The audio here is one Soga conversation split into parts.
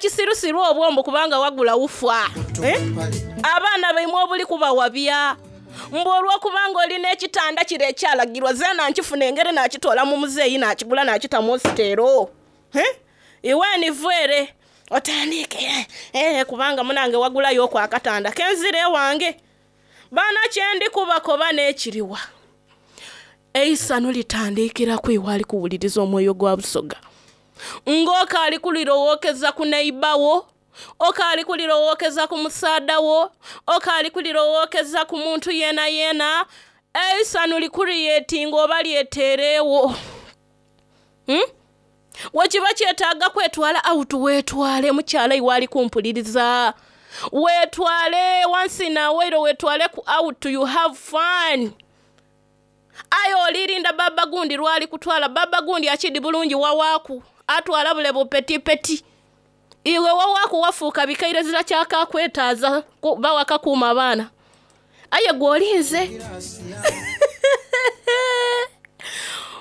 Obw'ekisirusiru obwo mbu kubanga wagula wufa. Eh? Abaana baimwe obuli kubawabya. Mbu olw'okubanga oli n'ekitanda kire ekyalagirwa, zeena nkifuna engeri naakitoola mu muzeeyi naakigula naakita mu nsiteero. Eh? Iwe ni vwere otandiike eh, kubanga munange wagulayo akatanda kenzira ewange. Bana kye ndi kubakoba n'ekiriwa. Eisano litandikira ku iwe ali kuwuliriza omwoyo gwa Busoga. Ng'okaali kulirowookeza ku neighbour okaali kulirowookeza ku musaadha wo, okaali kulirowookeza ku muntu yena yena, eisano licreatinga oba lyeteereewo. Wekiba kyetaaga kwetwala out weetwale mukyala iwe ali kumpuliriza. Weetwale once in a while weetwale ku out you have fun. Aye olirinda baba gundi lwali kutwala baba gundi akidi bulungi wawaaku atwala bule bupetipeti. Iwe wawaaku wafuuka bikaire zira kyakakwetaaza bawakakuuma abaana. Aye gw'olinze.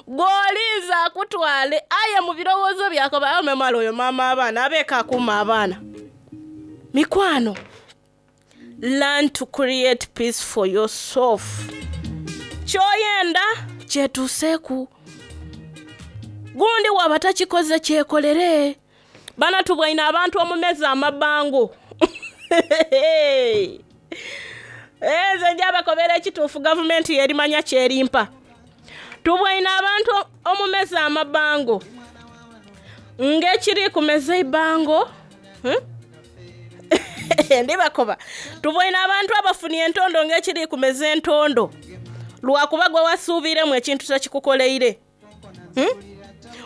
Gw'olinze akutwale aye mu birowoozo byakoba amemala oyo maama abaana abeeka akuuma abaana. Mikwano, learn to create peace for yourself. Ky'oyenda kyetuuseeku. Gundi waba takikoze kyekolere. Bana tubwaine abantu omumeza amabango. Nze njabakobera ekituufu gavumenti yerimanya kyerimpa. Tubwaine abantu omumeza amabango. Ng'ekiri kumeza eibango. Ndibakoba. Tubwaine abantu abafunye entondo ng'ekiri kumeza entondo. Lwakuba gwe wasuubiremu ekintu tekikukoleire.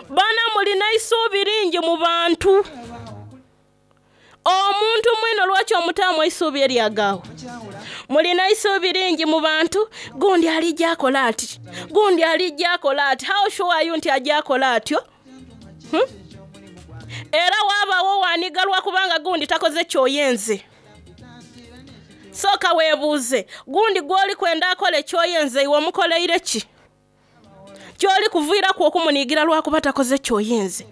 Bana mulina eisuubi lingi mu bantu. Omuntu mwino lwaki omutaamu eisuubi eryagaawo? Mulina eisuubi lingi mu bantu, gundi alijja akola ati, gundi alijja akola ati. How sure are you nti ajja akola atyo? Era waabaawo waniga lwakubanga gundi takoze kyoyenze. Sooka weebuuze, gundi gw'oli kwenda akole kyoyenze iwe omukoleire ki? Ky'oli kuviiraku okumuniigira lwakuba takoze kyoyenze.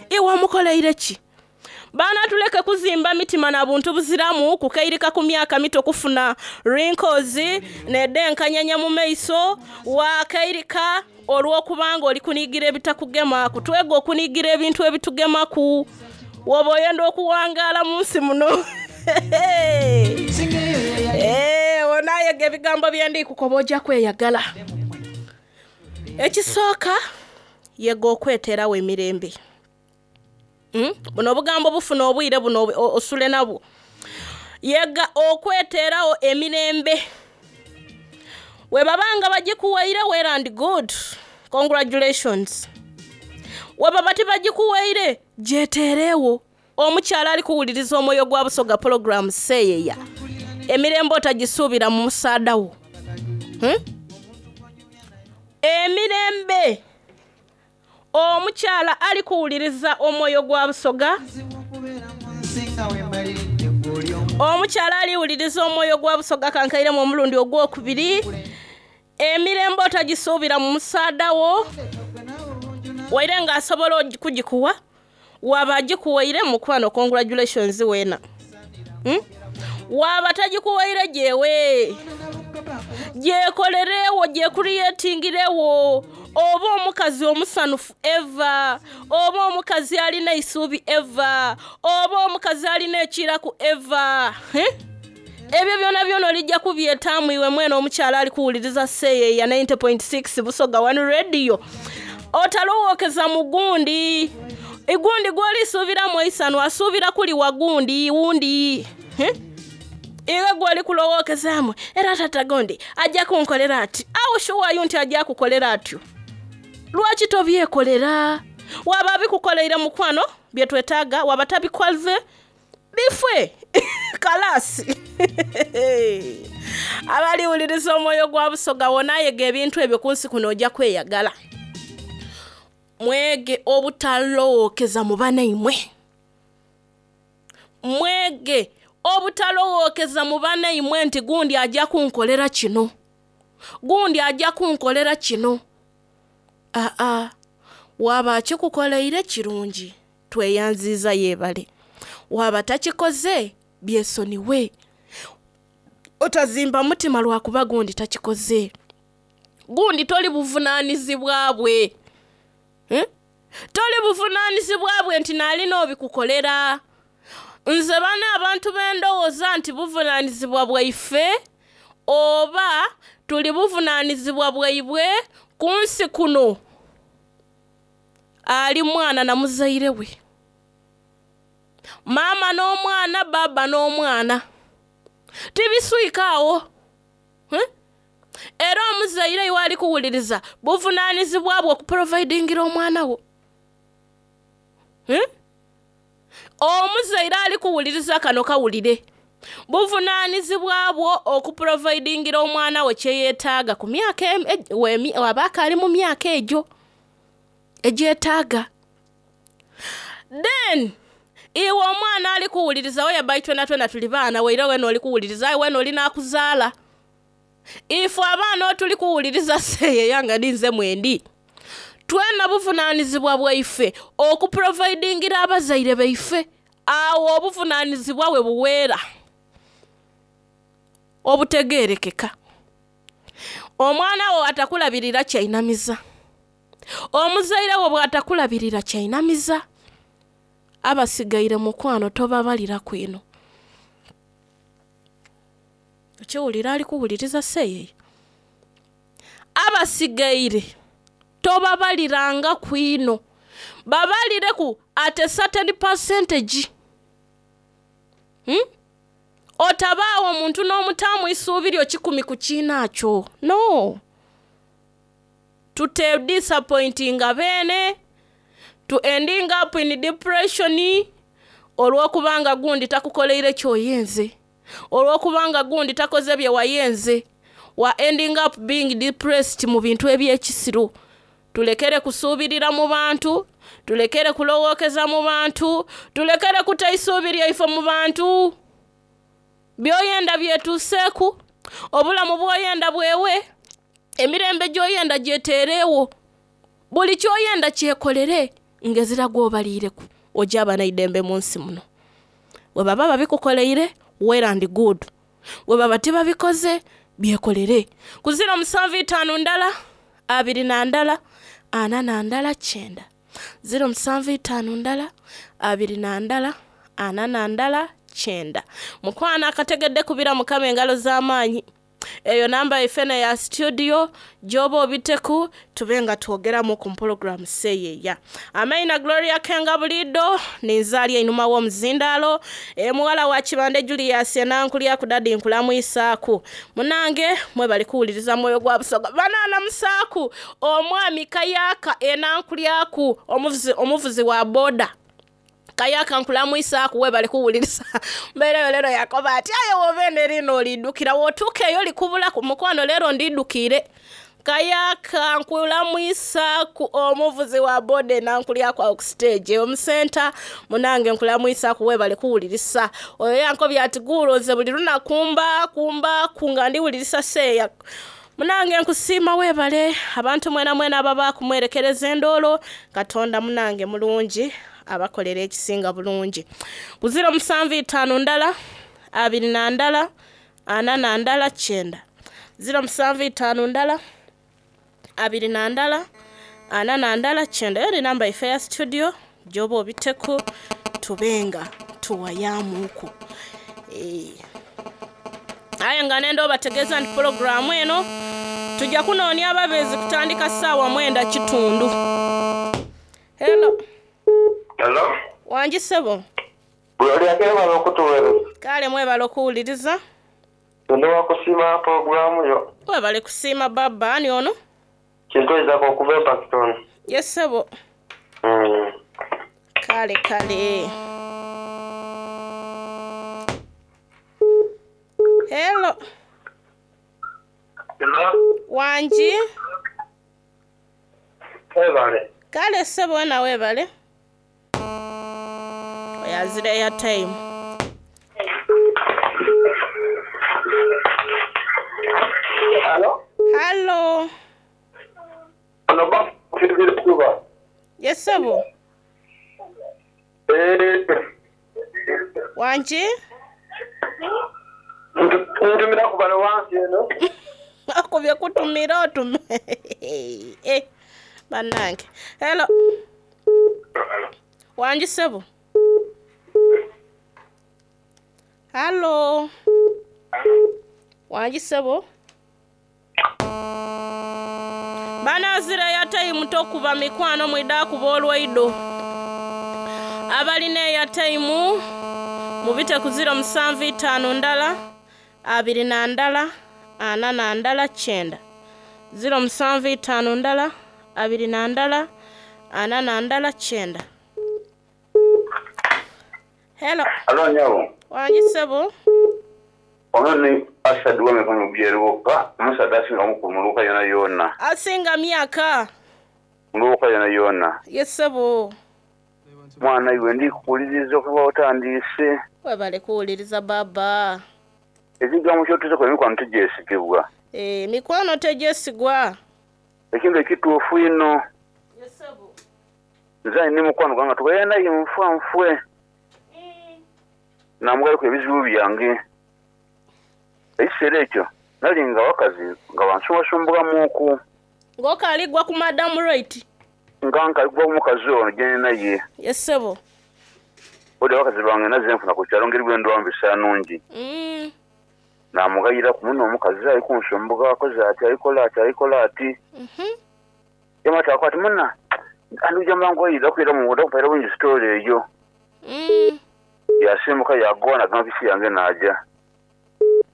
Iwe omukoleire ki? Baana tuleke kuzimba mitima na buntu buziramu kukairika ku myaka mito kufuna wrinkles n'edenkanyanya mu maiso wakairika olw'okubanga oli kuniigira ebitakugemaku. Twega okuniigira ebintu ebitugemaku. Woba oyenda okuwangaala mu nsi muno. Onaayega ebigambo bye ndi kukoba ojja kweyagala. Ekisooka yega okweteerawo emirembe. Buno obugambo bufuna obwire buno osule nabwo. Yega okweteerawo emirembe. We babanga bagikuwaire well and good. Congratulations. We baba tibagikuwaire gyeteereewo. Omukyala ali kuwuliriza omwoyo gwa Busoga program seeyeya. Emirembe otagisuubira mu musaada wo. Emirembe omukyala ali kuwuliriza omwoyo gwa Busoga. Omukyala aliwuliriza omwoyo gwa Busoga kankairemu omulundi ogwokubiri. Emirembe otagisuubira mu musaada wo. Waire ng'asobola okugikuwa, waba agikuwaire mukwano congratulations weena. Waba tagikuwaire gyewe. Gyekolereewo, gyecreatingirewo. Oba omukazi omusanufu eva, oba omukazi alina eisuubi eva, oba omukazi alina ekiraku eva. Ebyo byona byona olijja kubyetaamu iwe mwene omukyala ali kuwuliriza seeyeya 90.6 Busoga One Radio. Otalowookeza mu gundi. Igundi gw'olisuubiramu eisano asuubira kuli wa gundi wundi. Iwe gw'oli kulowookezaamu era tata gundi ajja kunkolera ati. Awo sure nti ajja kukolera atyo. Lwaki tobyekolera? Waba abikukoleire mukwano bye twetaaga, waba tabikoze bifwe kalasi. Abaliwuliriza omwoyo gwa Busoga wonaayega ebintu ebyo ku nsi kuno ojja kweyagala. Mwege obutalowookeza mu banaimwe. Mwege obutalowookeza mu banaimwe nti gundi ajja kunkolera kino. Gundi ajja kunkolera kino. Aa, waba akikukoleire kirungi. Tweyanziza yeebale. Bwaba takikoze byesoniwe. Otazimba mutima lwakuba gundi takikoze. Gundi toli buvunaanizibwa bwe. Eh? Toli buvunaanizibwa bwe nti naalina obikukolera. Nze bano abantu bendowooza nti buvunaanizibwa bwaife oba tuli buvunaanizibwa bwaibwe ku nsi kuno. Ali mwana na muzaire we. Maama n'omwana, bbaabba n'omwana. Tibiswika agho. Eh? Era omuzaire iwe ali kuwuliriza buvunaanizibwa bwo okuprovidingira omwana wo. Eh? Omuzaire ali kuwuliriza kano kawulire. Buvunaanizibwa bwo okuprovidingira omwana wo kye yeetaaga ku myaka waba akaali mu myaka egyo egyetaaga. Then iwe omwana ali kuwuliriza whereby twena twena tuli baana waire wena oli kuwuliriza aye wena oli nakuzaala. Ife abaana otuli kuwuliriza seeyeya nga ninze mwendi. Twena buvunaanizibwa bwaife okuprovidingira abazaire baife. Awo obuvunaanizibwa we buweera obutegeerekeka. Omwana wo atakulabirira kyainamiza. Omuzaire wo bw'atakulabirira kyainamiza. Abasigaire mukwano tobabaliraku ino. Okiwulira ali kuwuliriza seeyeya? Abasigaire tobabalirangaku ino. Babalireku at a certain percentage. Otabaawo omuntu n'omutaamu isuubi lyo 10 ku kiinaakyo. No. Tute disappointinga beene, to ending up in depression olw'okubanga gundi takukoleire ky'oyenze. Olw'okubanga gundi takoze bye wayenze. Wa ending up being depressed mu bintu eby'ekisiru. Tulekere kusuubirira mu bantu, tulekere kulowookeza mu bantu, tulekere kuta isuubi lyaife mu bantu. By'oyenda byetuuseeku, obulamu bw'oyenda bwewe, emirembe gy'oyenda gyeteereewo. Buli ky'oyenda kyekolere ng'ezira gw'obaliireku ojja aba n'eidembe mu nsi muno. Bwe baba babikukoleire well and good. Bwe baba tibabikoze byekolere. Ku 075 ndala, 21, 41 9. 075 ndala, 21, 41 9. Mukwano akategedde kubira Mukama engalo z'amaanyi. Eyo namba yaife ya studio gy'oba obiteku tube nga twogeramu ku program seeyeya. Amaina Gloria Kenga Bulido ninzaali einhuma w'omuzindaalo muwala wa Kibande Julius enankulya ku dadi nkulamwisaaku. Munange mwebale kuwuliriza mwoyo gwa Busoga. Banaana musaaku omwami Kayaka enankulyaku omuvuzi wa boda. Kayaka nkulamwisaaku webale kuwuliriza. Mbeereyo leero yakoba ati aye w'obeene lino olidukira w'otuuka eyo likubulaku mukwano leero ndidukire. Kayaka nkulamwisaaku omuvuzi wa boda enankulyaku awo ku stage omusenta munange nkulamwisaaku webale kuwulirisa. Oyo yankobye ati guulo nze buli lunaku mba nga ndiwulirisa seeya. Munange nkusiima webale abantu mwena mwena ababa kumwerekereza endoolo. Katonda munange mulungi abakolera ekisinga bulungi. Ku 075 ndala, 21, 41 9. 075 ndala, 21, 41 9. Eyo ni namba yaife ya studio gy'oba obiteku tubenga tuwayaamuuku. Aye nga nenda obategeeza nti pulogulaamu eno tujja kunoonya ababeezi kutandika ssaawa 9:15. Hello. Hello. Wangi ssebo. Gloria mwebale okutuweereza. Kale mwebale okuwuliriza. Ndi wakusiima pulogulaamu yo. Webale kusiima baba ani ono? Kintu Isaac okuva e Pakistan. Yes ssebo. Kale kale. Hello. Hello. Wangi. Webale. Kale ssebo wena webale. Oyazira airtime. Hello. Hello. Ono ba kuba. Yes ssebo. Wangi? Ntumira ku bano wansi eno. Okubye kutumira otume. Eh, bannange. Hello. Wangi ssebo. Hallo. Wangi ssebo. Banazira eyataimu tokuba mikwano mwidha kuba olwaido. Abalina eyataimu mubite ku 0751 21 41 9. 0751 21 41 9. Hello. Alo nyabo. Wangi ssebo. Ono ni Asad w'emikono byeruka, omusaadha asinga mukulu mu luuka yona yona. Asinga myaka. Mu luuka yona yona. Ye ssebo. Mwana iwe ndi kuwuliriza okuva otandiise. Webale kuwuliriza baba. Ekigambo ky'otuuseku emikwano tigyesigibwa. Eh, mikwano tegyesigwa. Ekintu ekituufu ino. Ye ssebo. Nze ni mukwano gwange tubaire naye nfa nfwe. Namugalaku ebizibu byange. Ekiseera ekyo nali nga abakazi nga bansumbasumbukamuuku. Ng'okaligwa ku Madam Right. Nga nkaligwa ku mukazi ono gye naye. Ye ssebo. Odi abakazi bange nazze nfuna ku kyalo ngeri bwe ndwamu bisanungi. Namugayiraku muno omukazi ali kunsumbuka akoze ati alikola ati alikola ati. Yamata akwati muna anduja mangu ayira kwira mu muda kupaira bungi story eyo. Yasimbuka yagona gamba yange naja.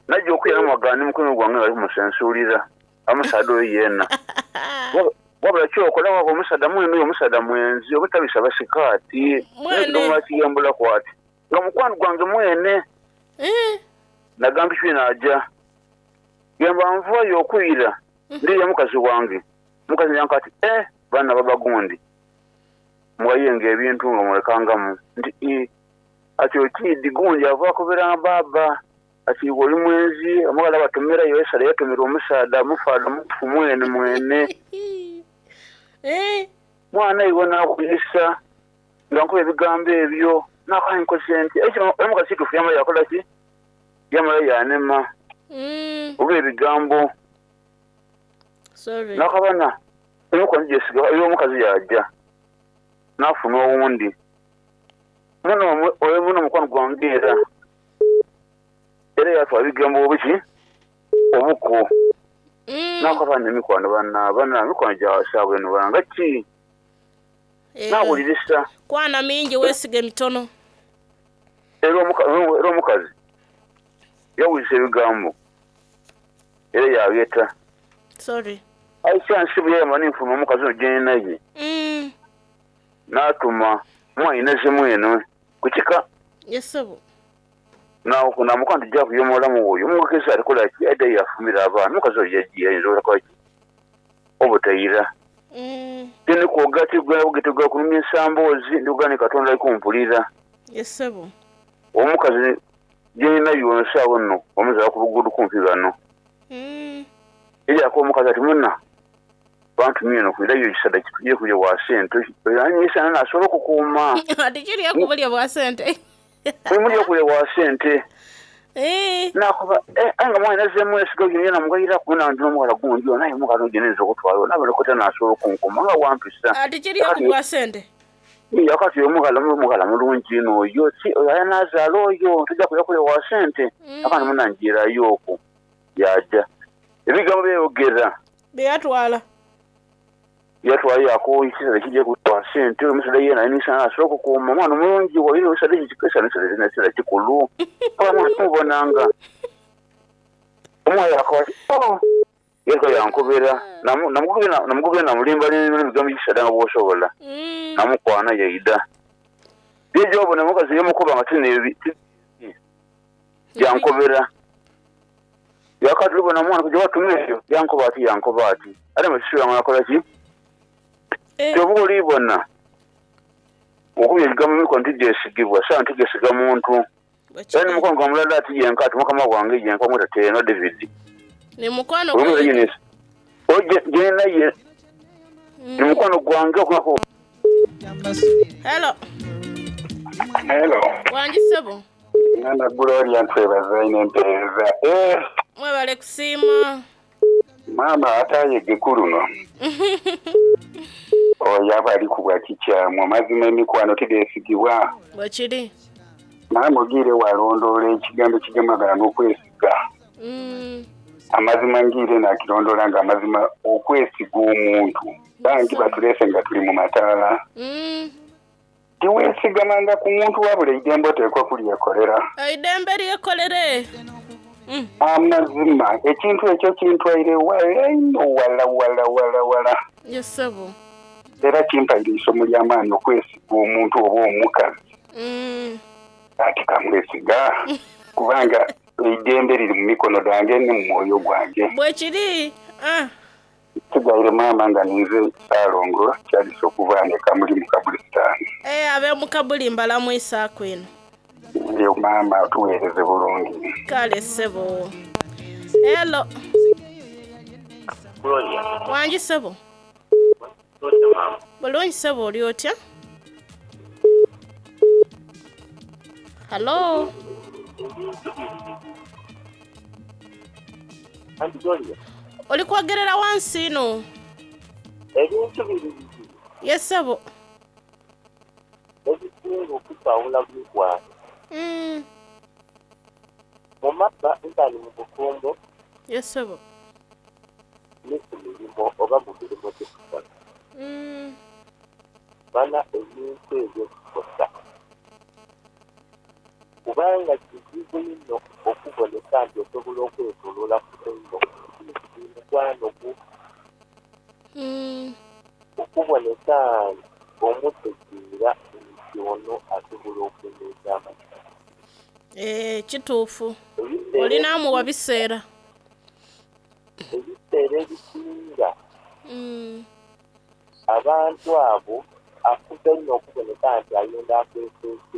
Najja okuyira mwagani mukono gwange ali kumusensulira. Amusaadha oyo yena. Wabula kyokola waba omusaadha mwene oyo omusaadha mwenzi obutabisa basikaati. Mwene. Mwakiyambula kwati. Nga mukwano gwange mwene. Nagamba kyo naja. Yamba nvayo okuyira. Ndiya mukazi wange. Mukazi yanka ati bana babagundi. Mwayenga ebintu nga mulekangamu. Nti ati okidi gundi ava kubera baba. Ati oli mwenzi omugala batumira yesala yatumira omusaadha mufaadha mufu mwene mwene. Mwana iwe nakuyisa nga nkuba ebigambo ebyo nakankoze nti ekyo omukazi kituufu yamala yakola ki? Yamala yanema. Oba ebigambo. Sorry. Nakabana omukono gyesiga oyo omukazi yajja nafuna owundi. Muno oyo muno mukwano gwange era. Era yatwala ebigambo obuki obuko. Nakabana emikwano bana mikwano gyasaabwe eno banga ki? Nawulirisa. Kwana mingi weesige mitono. Era omukazi yawulirisa ebigambo era yabyeta. Sorry. Aisha nsibu yayamba ninfuna omukazi ono gye naye. N'atuma mwanyinaze mwene ku kika. Yes ssebo. Namuka nti jja kuyomolamu oyo omugezi alikola ki aidha yafumira abaana omukazi oyo yagiye ayinza obutakola ki obutayira. Tinikwoga tigwa kulumya ensamboozi ndikugaa Katonda ali kumpulira. Yes ssebo. Omukazi gye naye ono saawa nno omuzaala ku luguudo kumpi ghano. Eryako omukazi ati muna bantumye eno kwirayo ekisaadha kituje kulya bwa sente anyisana nasobola okukuuma. Ati kirya kubulya bwa sente. Mulya kulya bwa sente. Nakuba anga mwana nazemu esiga gino yena mugayira kuna ndi n'omuwala gundi ono naye omukazi oyo nayinza okutwala nabona kota nasobola okunkuma nga wampisa. Ati kirya ku bwa sente. Yakati omughala mulungi ino oyo si oyo ayanazaala oyo tujja kulya kulya wa sente. Akandi munanjirayo okwo yaja. Ebigambo byeyogera. Byeyatwala. Yatwala yako ekisaadha kijja kulya sente omusaadha yena anisana asobola okukuuma omwana omulungi waire omusaadha ekisaadha kikulu. Mubonanga. Omwana akaba ati yeko yankobera namugobera namulimba ebigambo ekisaadha nga bw'osobola. Namukwana yaida. Yejo obona omukazi yamukuba nga tinebi yankobera. Yakati lubona omwana kujja watumira eyo yankoba ati ate mukisula mwakola ki? Kyoba olibona okubya ebigambo emikono tigyesigibwa sawa ntigyesiga muntu. Era ni mukwano gwa mulala ati yenka ati mukama wange yenka omweta Teno David. Ni mukwano gwe naye ni mukwano gwange okulako. Hello. Hello. Wangi ssebo. Mwana Gloria ntwebaza inho empeereza. Eh! Mwebale kusiima. Maama atayege ku luno oyo aba ali kubwa kikyamu. Amazima emikwano tidhesigibwa. Bwekiri. Maama ogiire walondoola ekigambo ekigemagana n'okwesiga. Amazima ngiire nakirondoola nga amazima okwesiga omuntu. Bangi batulese nga tuli mu mataala. Tiweesigamanga ku muntu wabula eidembe oteekwa kulyekolera. Eidembe lyekolere. Amazima ekintu ekyo kintwaire wala inho wala wala wala wala. Ye ssebo. Era kimpaire eisomo lya maani okwesiga omuntu oba omukazi. Ati kamwesiga kubanga eidembe liri mu mikono dhange ni mu mwoyo gwange. Bwekiri. Nsigaire maama nga ninze Ssalongo Charles okuva ghano e Kamuli mu Kabulisitaani. Eeh ab'omu Kabuli mbalamwisaaku inho. Eyo maama otuweereze bulungi. Kale ssebo. Hello. Gloria. Wangi ssebo. Otya maama? Bulungi ssebo oli otya? Hallo. Ebintu biri bibiri. Anti Gloria. Oli kwogerera wansi inho. Ebintu biri bibiri. Ye ssebo. Ebisinga okukwawula mu mikwano. Mu maka nkani mu bufumbo. Ye ssebo. Ni ku mirimo oba mu mirimo gye tukola. Bana ebintu ebyo bikosa. Kubanga kizibu inho okuboneka nti osobola okwetoloola ku baino ni mukwano gwo. Okuboneka nti omutegeera nti ono asobola okuumeeza amaka. Eeh kituufu. Oli naamuwa biseera. Ebiseera ebisinga abantu abo afuba inho okuboneka nti ayenda akwekwese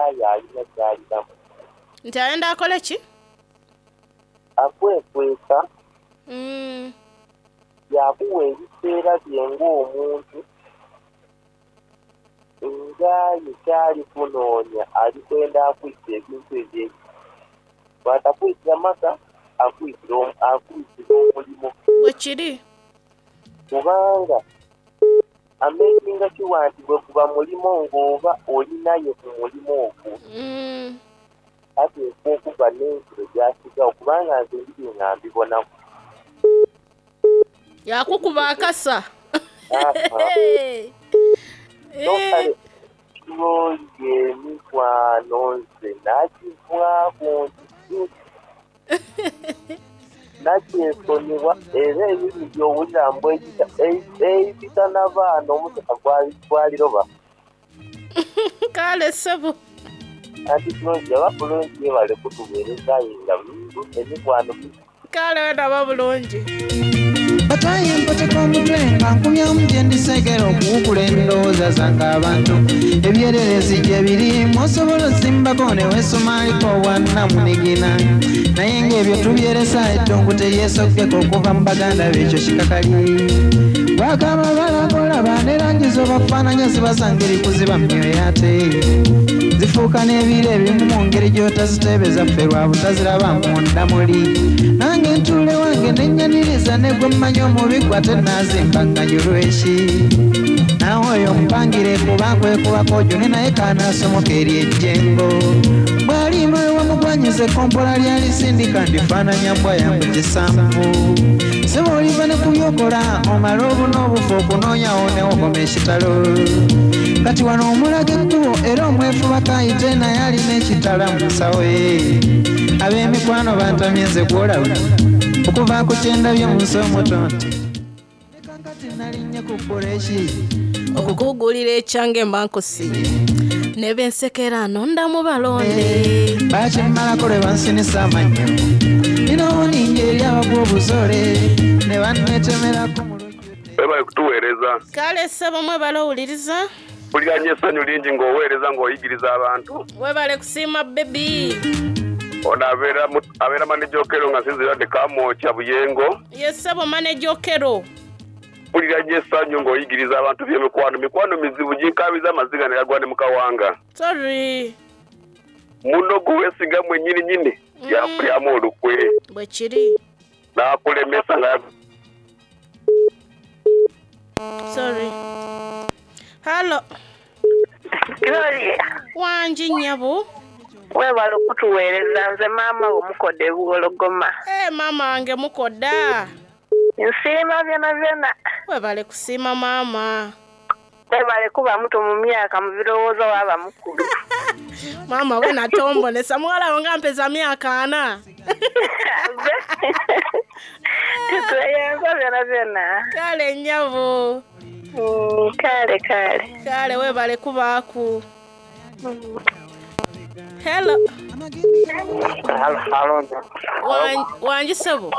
aye alina ky'alinamu. Nti ayenda akole ki? Akwekweka yaakuwa ebiseera bye ng'omuntu nga aye ky'ali kunoonia ali kwenda akwite ebintu ebyo. Bw'atakwitira maka, akwitira omulimo. Bwekiri. Kubanga amekinga shuwa nti bweguba mulimo ng'oba oli naye ku mulimo ogwo, ateekwa okuba n'ensulo gy'asigawo kubanga nze ndidhi nga mbibonaku. Yakukuba akasa. So kale lwoli emikwano nze nakivaaku nti nakyesonyiwa era ebibi by'owulira mbu eibita n'abaana omusota gwaliroba. Kale ssebo. Anti Bulungi oba bulungi webale kutuweereza aye nga emikwano. Kale wena bulungi. Bataye mpoteka omutwe nga nkumyamu gye ndiseegera okuwukula endowooza zange abantu ebyererezi gye biri osobola osimbako ne weesumaliko obwannamunigina naye ng'ebyo tubyeresa ettungu teryesoggeka okuva mu baganda be ekyo kikakali bwakaba balakolaba ne langi z'obafaananya zibasa ngeri kuziba myoyo ate zifuuka n'ebiro ebimu mu ngeri gy'otaziteebeza ffe lwa butaziraba munda muli nange ntuule wange nenyaniriza ne gwe mmanyi omubi gwe ate naazimba nganyulwa eki naawe oyo mpangire kuba nkwekubako ojune naye kanaasomoka eri ejjengo bw'alimba wamugwanyiza ekkompola lyalisindika ndifaananya mbwa yangu kisanvu sebo oliva ne ku byokola omale obuna obufu okunoonyawo newokoma ekitalo kati wano omulaga ekkubo era omwefubako ayite naye alina ekitala mu nsawo ye ab'emikwano bantamye nze gwolaba okuva ku kyendabye mu nsi omuto nti leka nkati nalinnye ku buleeki okukugulira ekyange mba nkusiimye ne bensekera nonda mu balonde bakimmalako lwe bansinisa amannyo ninawo ningi eri abagwa obuzoole ne banneetemerako mu lujjudde Webale kutuweereza. Kale ssebo mwebale owuliriza. Mpulira nnyo essanyu lingi ng'oweereza ng'oyigiriza abantu. Webale kusiima baby. Ono abeera abeera manager Okello nga nsinziira de Kamwokya Buyengo. Ye ssebo manager Okello. Mpulira nnyo essanyu ng'oyigiriza abantu by'emikwano. Mikwano mizibu ginkaabiza amaziga ne gagwa ne mu kawanga. Sorry. Muno gwe weesiga mwenyininyini yaakulyamu olukwe. Bwe kiri. N'akulemesa nga. Sorry. Hallo. Gloria. Wangi nnyabo. Webale okutuweereza nze maama wo Mukoda e Buwologoma. Eh maama wange Mukoda. Nsiima byonabyona. Webale kusiima maama. Webale kuba muto mu myaka mu birowoozo waaba mukulu. Maama wena tombonesa muwala wo nga mpeza myaka ana. Tutweyanza byonabyona. Kale nnyabo. Kale kale. Kale webale kubaaku. Hello. Halo. Wangi ssebo.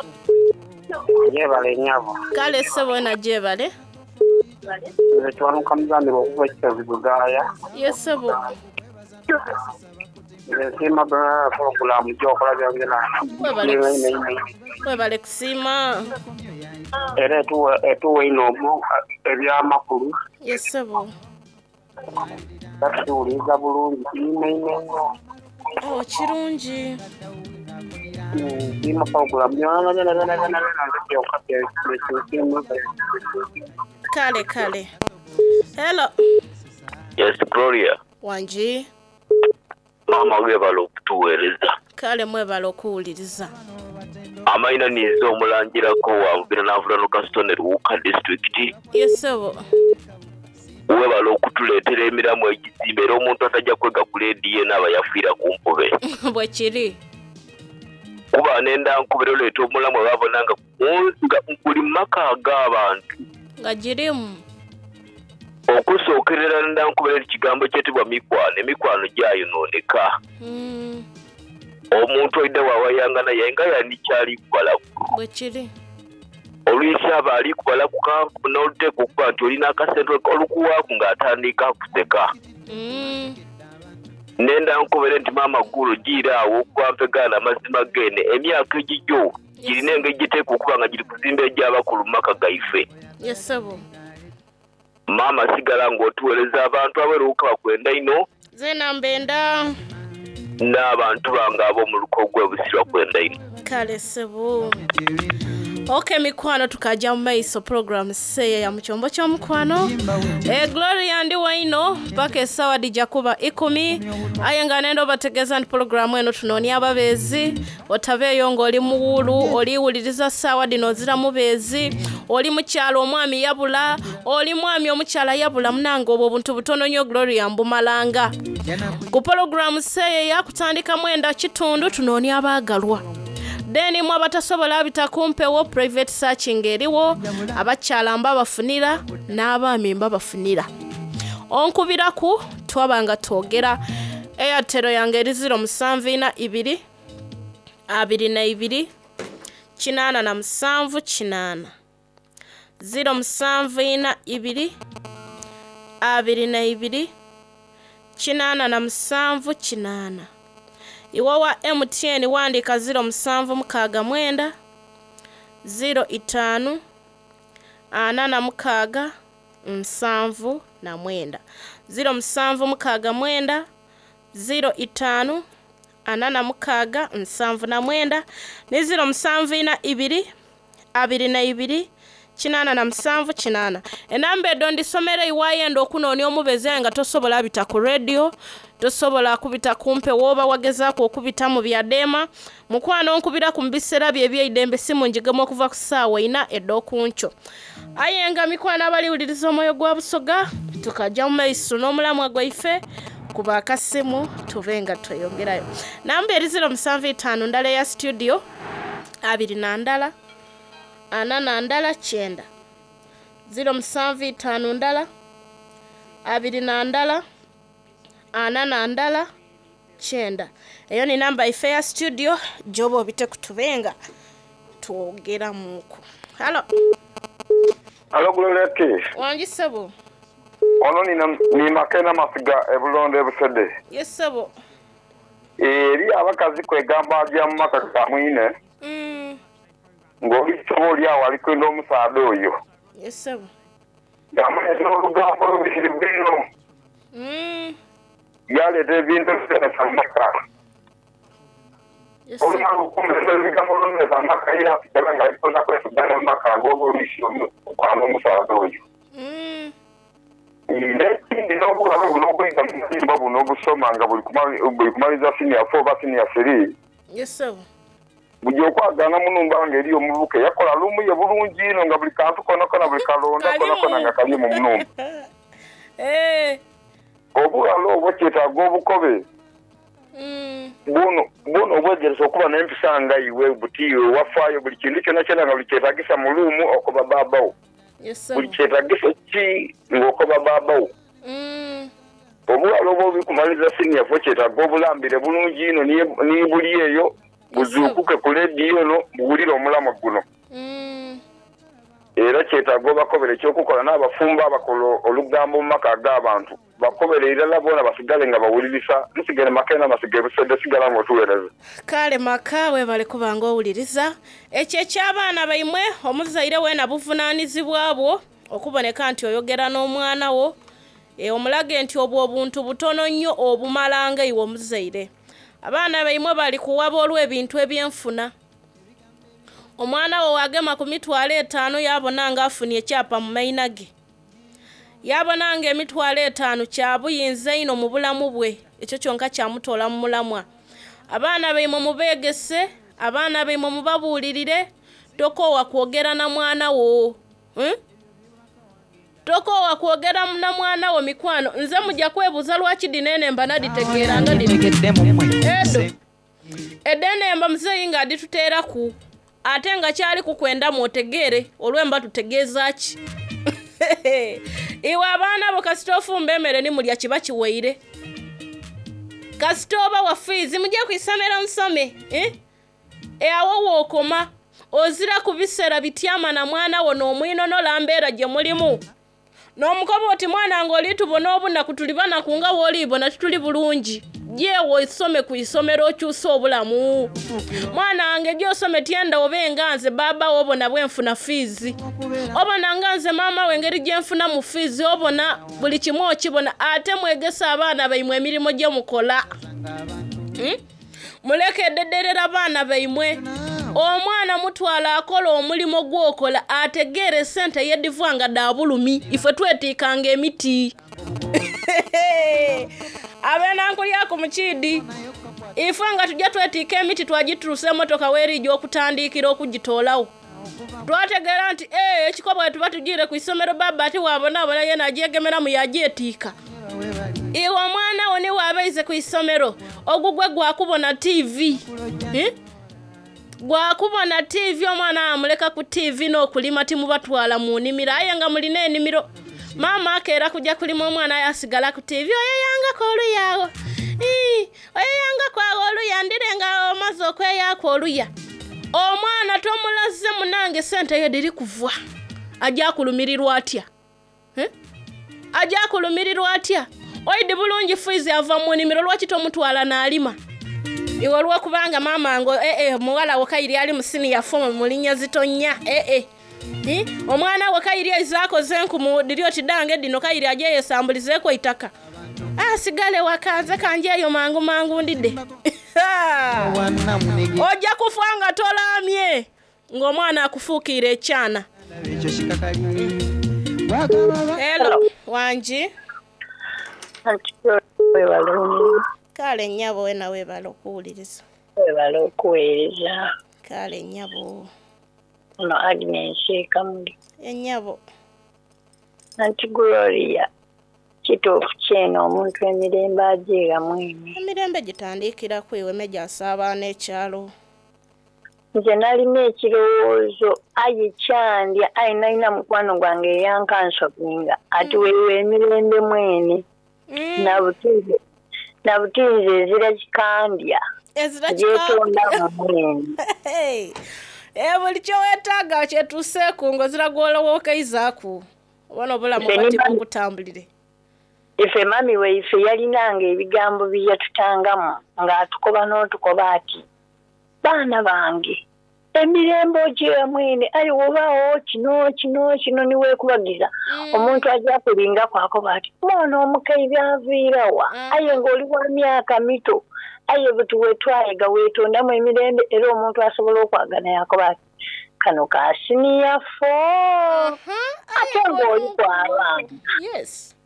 Yebale nnyabo. Kale ssebo wena gyebale. Nze Kiwanuka Muzambiru okuva e Kisozi Bugaaya. Ye ssebo. Nze nsiima pulogulaamu gy'okola byongera. Webale kusiima. Era etuwa inho ebyamakulu. Ye ssebo. Era tukiwuliriza bulungi inho inho inho. Oh, kirungi. Nsiima pulogulaamu byona byona byona byona nze kyonka kyensiima. Kale kale. Hello. Yes, Gloria. Wangi. Maama webale okutuweereza. Kale mwebale okuwuliriza. Amaina ninze omulangirako wa Bubira Navulano Kasitone Luwuka disitulikiti. Ye ssebo. Webale okutuleetera emiramu egizimba era omuntu atajja kwega ku leediyo eno aba yafiira ku mpube. Bwe kiri. Kuba nenda nkubira oleeta omulamu ababona nga nga buli maka ag'abantu. Nga girimu. Okusookerera nda nkubira ekigambo ekyetebwa mikwano, emikwano gyayonooneka. Omuntu aidha bwawayanga naye nga yani kyali kubalaku. Bwe kiri. Olwisi aba ali kubalaku kanku n'oluteekwa okuba nti olina akasente olukuwaaku ng'atandika kuseka. Nenda nkobere nti maama Gulu jiira awo okuba mpegaana amazima geene emyaka egigyo girina engeri gyeteekwa okuba nga giri kuzimba egy'abakulu mu maka gaife. Ye ssebo. Maama sigala ng'otuweereza abantu abeeruka bakwenda inho. Zeena mbenda. N'abantu bange ab'omu luko gw'e Busiro bakwenda inho. Kale ssebo. Ok mikwano tukaja mu maiso program seya ya mukyombo ky'omukwano. E Gloria ndi waino paka esawa dija kuba ikumi aye nga nenda obategeeza nti program eno tunoonia ababeezi otabeeyo ng'oli muwuulu oliwuliriza saawa dino ozira mubeezi oli mukyala omwami yabula oli mwami omukyala yabula munange obwo obuntu butono nnyo Gloria mbumalanga ku program seeya kutandika mwenda kitundu tunoonia abaagalwa. Then mwe abatasobola abita kumpewo private searching eriwo abakyala mbabafunira n'abaami mbabafunira. Onkubiraku twaba nga twogera Airtel yange eri 0742 22 87 8 0742 22 87 8. Iwe wa MTN wandika 0769 05 46 79 0769 05 46 79 ni 0742 22 87 8. Enamba edo ndisomera iwayenda okunoonia omubezi aye nga tosobola bita ku radio, tosobola kubita kumpe woba wagezaku okubita mu byadema. Mukwano nkubira ku mbiseera bye ebyeidembe simu njigemu okuva ku ssaawa ina ed'okunkyo. Aye nga mikwano abaliwuliriza omwoyo gwa Busoga tukajja mu maiso n'omulamwa gwaife kuba akasimu tube nga tweyongerayo. Namba eri 075 ndala eya studio 21 41 9 075 ndala 21 41 9. Eyo ni namba ife ya studio gyoba obite kutubenga twogeramuku. Halo. Halo Gloria T. Wangi ssebo. Ono ni Makena Masiga e Bulondo e Busede. Yes ssebo. Eri abakazi kwegamba aja mu maka ga mwine. Ng'oli sobo oli awo ali kwenda omusaadha oyo. Yes ssebo. Yamuleetera olugambo olubitirivu einho. Yaleeta ebintu ebitesa mu maka. Olumala okumeza ebigambo olumeza amaka era asigala nga alikwenda kwesiga n'amaka ago oba oluisi okwana omusaadha oyo. N'ekindi n'obughala buno obwidha mu buyumba buno obusoma nga buli kumaliza siniya fo oba siniya siri, buja okwagaana mu nhumba nga eriyo omuvubuka eyakola luumu ye bulungi inho nga buli kantu konakona, buli kalonda konakona nga kalimu mu nhumba. Obughala obwo kyetaaga obukobe bwona bwona obwegerese okuba n'empisa nga iwe buti iwe wafaayo buli kintu kyonakyona nga buli kyetagisa mu luumu okoba bbaabba wo. Buli kyetagisa ki ng'okoba bbaabba wo. Obughala obwo buli siniya fo kyetaaga obulambire bulungi inho ni buli eyo buzuukuke ku leediyo eno buwulire omulamwa guno. Era kyetaaga obakobere eky'okukola n'abafumbo abakola olugambo mu maka ag'abantu bakobere irala boona basigale nga bawulirisa. Nsigale maka eno amasiga e Busede sigala nga otuweereza. Kale maka webale kuba nga owuliriza. Ekyo eky'abaana baimwe omuzaire weena buvunaanizibwa bwo okuboneka nti oyogera n'omwana wo omulage nti obwo obuntu butono nnyo obumala nga iwe omuzaire. Abaana baimwe bali kuwaba olw'ebintu ebyenfuna. Omwana wo wagema ku mitwalo etaano yabona nga afunye ekyapa mu maina ge. Yabona nga emitwalo etaano kya buyinza inho mu bulamu bwe, ekyo kyonka kyamutoola mu mulamwa. Abaana baimwe mubeegese, abaana baimwe mubabuulirire, tokoowa kwogera na mwana wo. Tokoowa kwogera na mwana wo mikwano. Nze mujja kwebuuza lwaki dhino enemba nadhitegeera nga dhino. Edo. Edhenemba muzeeyi nga adhituteeraku ate nga kyali kukwendamu otegeere olwemba tutegeeza ki. Iwe abaana bo kasita ofumba emmere ni mulya kiba kiwaire. Kasita oba wa fiizi mujje ku isomero musome. Awo wookoma ozira ku biseera bityama na mwana wo n'omwinonola mbeera gye mulimu. N'omukoba oti mwana nga oli tubona obunaku tuli banaku nga w'olibona tituli bulungi. Jeewo osome ku isomero okyuse obulamu. Mwana wange gy'osome tyenda obe nga nze baaba wo obona bwenfuna fiizi. Obona nga nze maama we engeri gye nfuna mu fiizi obona buli kimu okibona ate mwegese abaana baimwe emirimu gye mukola. Muleke edederera abaana baimwe. Omwana mutwala akola omulimu gw'okola ategeere esente yedivwa nga dha bulumi. Ife twetiikanga emiti. Abenankulyaku mukiidi. Ife nga tujja twetiika emiti twagituusa emotoka weeriija okutandikira okugitoolawo. Twategeera nti ekikobwa tuba tugiire ku isomero baba ati wabonaabona yena agyegemeramu yagyetiika. Iwe omwana wo niwe abaize ku isomero ogugwe gwakubona TV. Gwakubona TV omwana amuleka ku TV n'okulima timubatwala mu nnimiro aye nga mulina ennimiro. Maama akeera kujja kulima omwana asigala ku TV oyeyangako oluya awo. Oyeyangako awo oluya ndire nga omaze okweyaako oluya. Omwana tomulaze munange sente ye dhiri kuvwa. Ajja kulumirirwa atya? Ajja kulumirirwa atya? Oidi bulungi fiizi ava mu nnimiro lwaki tomutwala n'alima? Iwe olw'okubanga maama ngo muwala wo kayiri ali mu siniya fomu mu linnya zitonnya. Omwana wo kayiri aize akoze enkumu dhiri oti dange dhino kayiri agyeyesambulizeeku eitaka. Asigale waka nze kanjeeyo mangu mangu ndidde. Ojja kufa nga tolaamye ng'omwana akufuukiire ekyana. Hello, wangi. Kale nnyabo wena weebale okuwuliriza. Weebale okuweereza. Kale nnyabo. Ono Agnes Kamuli. Ennyabo. Anti Gloria, kituufu kyene omuntu emirembe agyera mwene. Emirembe gitandikira ku iwe meja asaabaana ekyalo. Nze nalina ekirowoozo aye kyandya aye nalina mukwano gwange eyankansokinga ati weewe emirembe mwene. Nabutinze ezira kikandya. Ezira Gyetonda mwene. Buli kyeweetaaga kyetuuseeku ng'ozira gw'olowookeizaku. Obona obulamu bati bukutambulire. Ife mami waife yalinanga ebigambo bye yatutangamu ng'atukoba n'otukoba ati baana bange emirembe ogyera mwene aye wobaawo kino kino kino niweekubagiza. Omuntu ajja kulingako akoba ati mwana omukaire aviirawa aye ng'oli wa myaka mito. Aye buti wetwayega wetondamu emirembe era omuntu asobola okwagana yakoba ati kano ka siniya fo ate ng'oli kwabanga. Yes.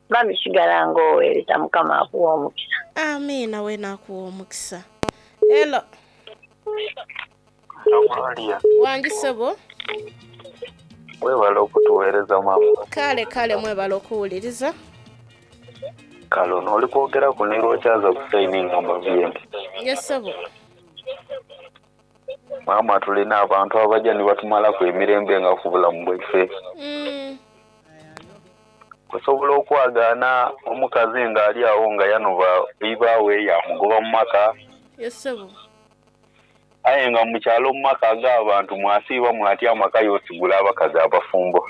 Mami sigala ng'oweereza Mukama akuwa omukisa. Amiina weena akuwa omukisa. Hello. Gloria. Wangi sebo. Webale okutuweereza maama. Kale kale mwebale okuwuliriza. Kale ono oli kwogeraku ne Lwokyaza Hussein nga mbaviye. Yes sebo. Maama tulina abantu abajja ni batumalaku emirembe nga ku bulamu bwaife. Osobola okwagaana omukazi ng'ali awo nga yanoba ibaawe yamugoba mu maka. Yes sebo. Aye nga mu kyalo mu maka ag'abantu mwasiiba mwatyama k'aye osigula abakazi abafumbo.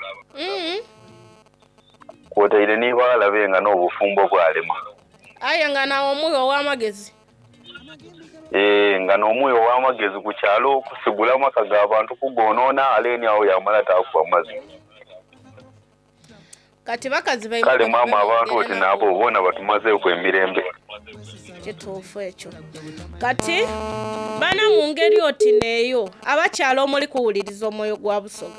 Kwotaire ni baghala be nga n'obufumbo bwalema. Aye nga n'omugha ow'amagezi. Eeh, nga n'omugha ow'amagezi ku kyalo kusigula maka ga bantu kugonoona ale ni agho yaamala taakuba mazi. Kati bakazi baimwe Kale maama abantu oti n'abo boona batumazeeku emirembe. Kituufu ekyo. Kati bana mu ngeri oti n'eyo abakyala omuli kuwuliriza omwoyo gwa Busoga.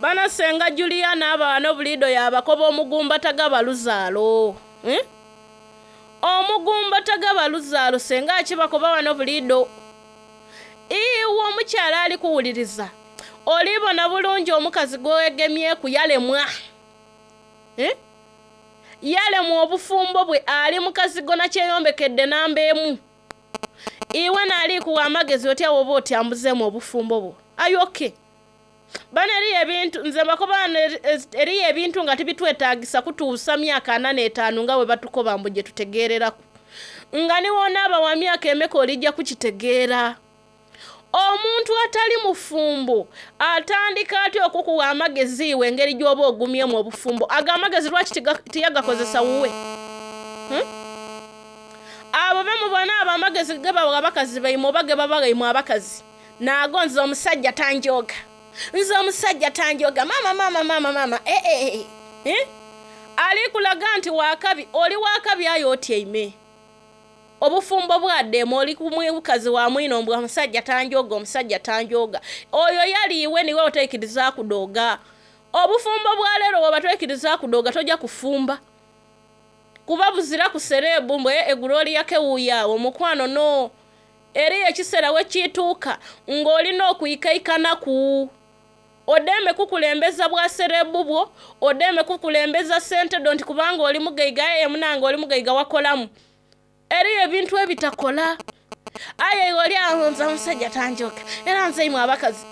Bana Ssenga Juliana aba wano buliidho yaabakoba omugumba tagaba luzaalo. Eh? Omugumba tagaba luzaalo ssenga akibakoba wano buliidho. Iwe omukyala ali kuwuliriza olibona bulungi omukazi gwewegemyeku yalemwa. Eh? Yalemwa obufumbo bwe ali mukazigo na kyeyombekedde namba emu. Iwe naali kuwa amagezi otya woba otyambuzeemu obufumbo bwo. Ayoke. Bano eriyo ebintu nze mbakoba wano eriyo ebintu nga tibitwetaagisa kutuusa myaka 45 nga bwe batukoba mbu gye tutegeereraku. Nga ni w'onaaba wa myaka emeka olijja kukitegeera. Omuntu atali mufumbo atandika atya okukuwa amagezi iwe engeri gy'oba ogumyemu obufumbo? Ago amagezi lwaki tiyagakozesa wuwe? Abo be mubona abo amagezi ge bawa abakazi baimwe oba ge babagha imwe abakazi. Naago nze omusajja tanjooga. Nze omusajja tanjooga. Maama maama maama maama eh eh eh. Ali kulaga nti wakabi, oli wakabi aye otyaime. Obufumbo bwadema oli ku mukazi wa mwino mbwa omusajja tanjooga, omusajja tanjooga. Oyo yali iwe niwe oteikiriza kudooga. Obufumbo bwa leero bw'oba toikiriza kudooga tojja kufumba. Kuba buzira ku sereebu mbwe eguloli yakewuuya awo mukwano no. Eriyo ekiseera we kituuka ng'olina okwikaikanaku. Odeme kukulembeza bwa sereebu bwo, odeme kukulembeza ssente dho nti kubanga oli mugaiga aye munange oli mugaiga wakolamu. Eriyo ebintu ebitakola. Aye iwe oli awo nze omusajja tanjooga. Era nze imwe abakazi.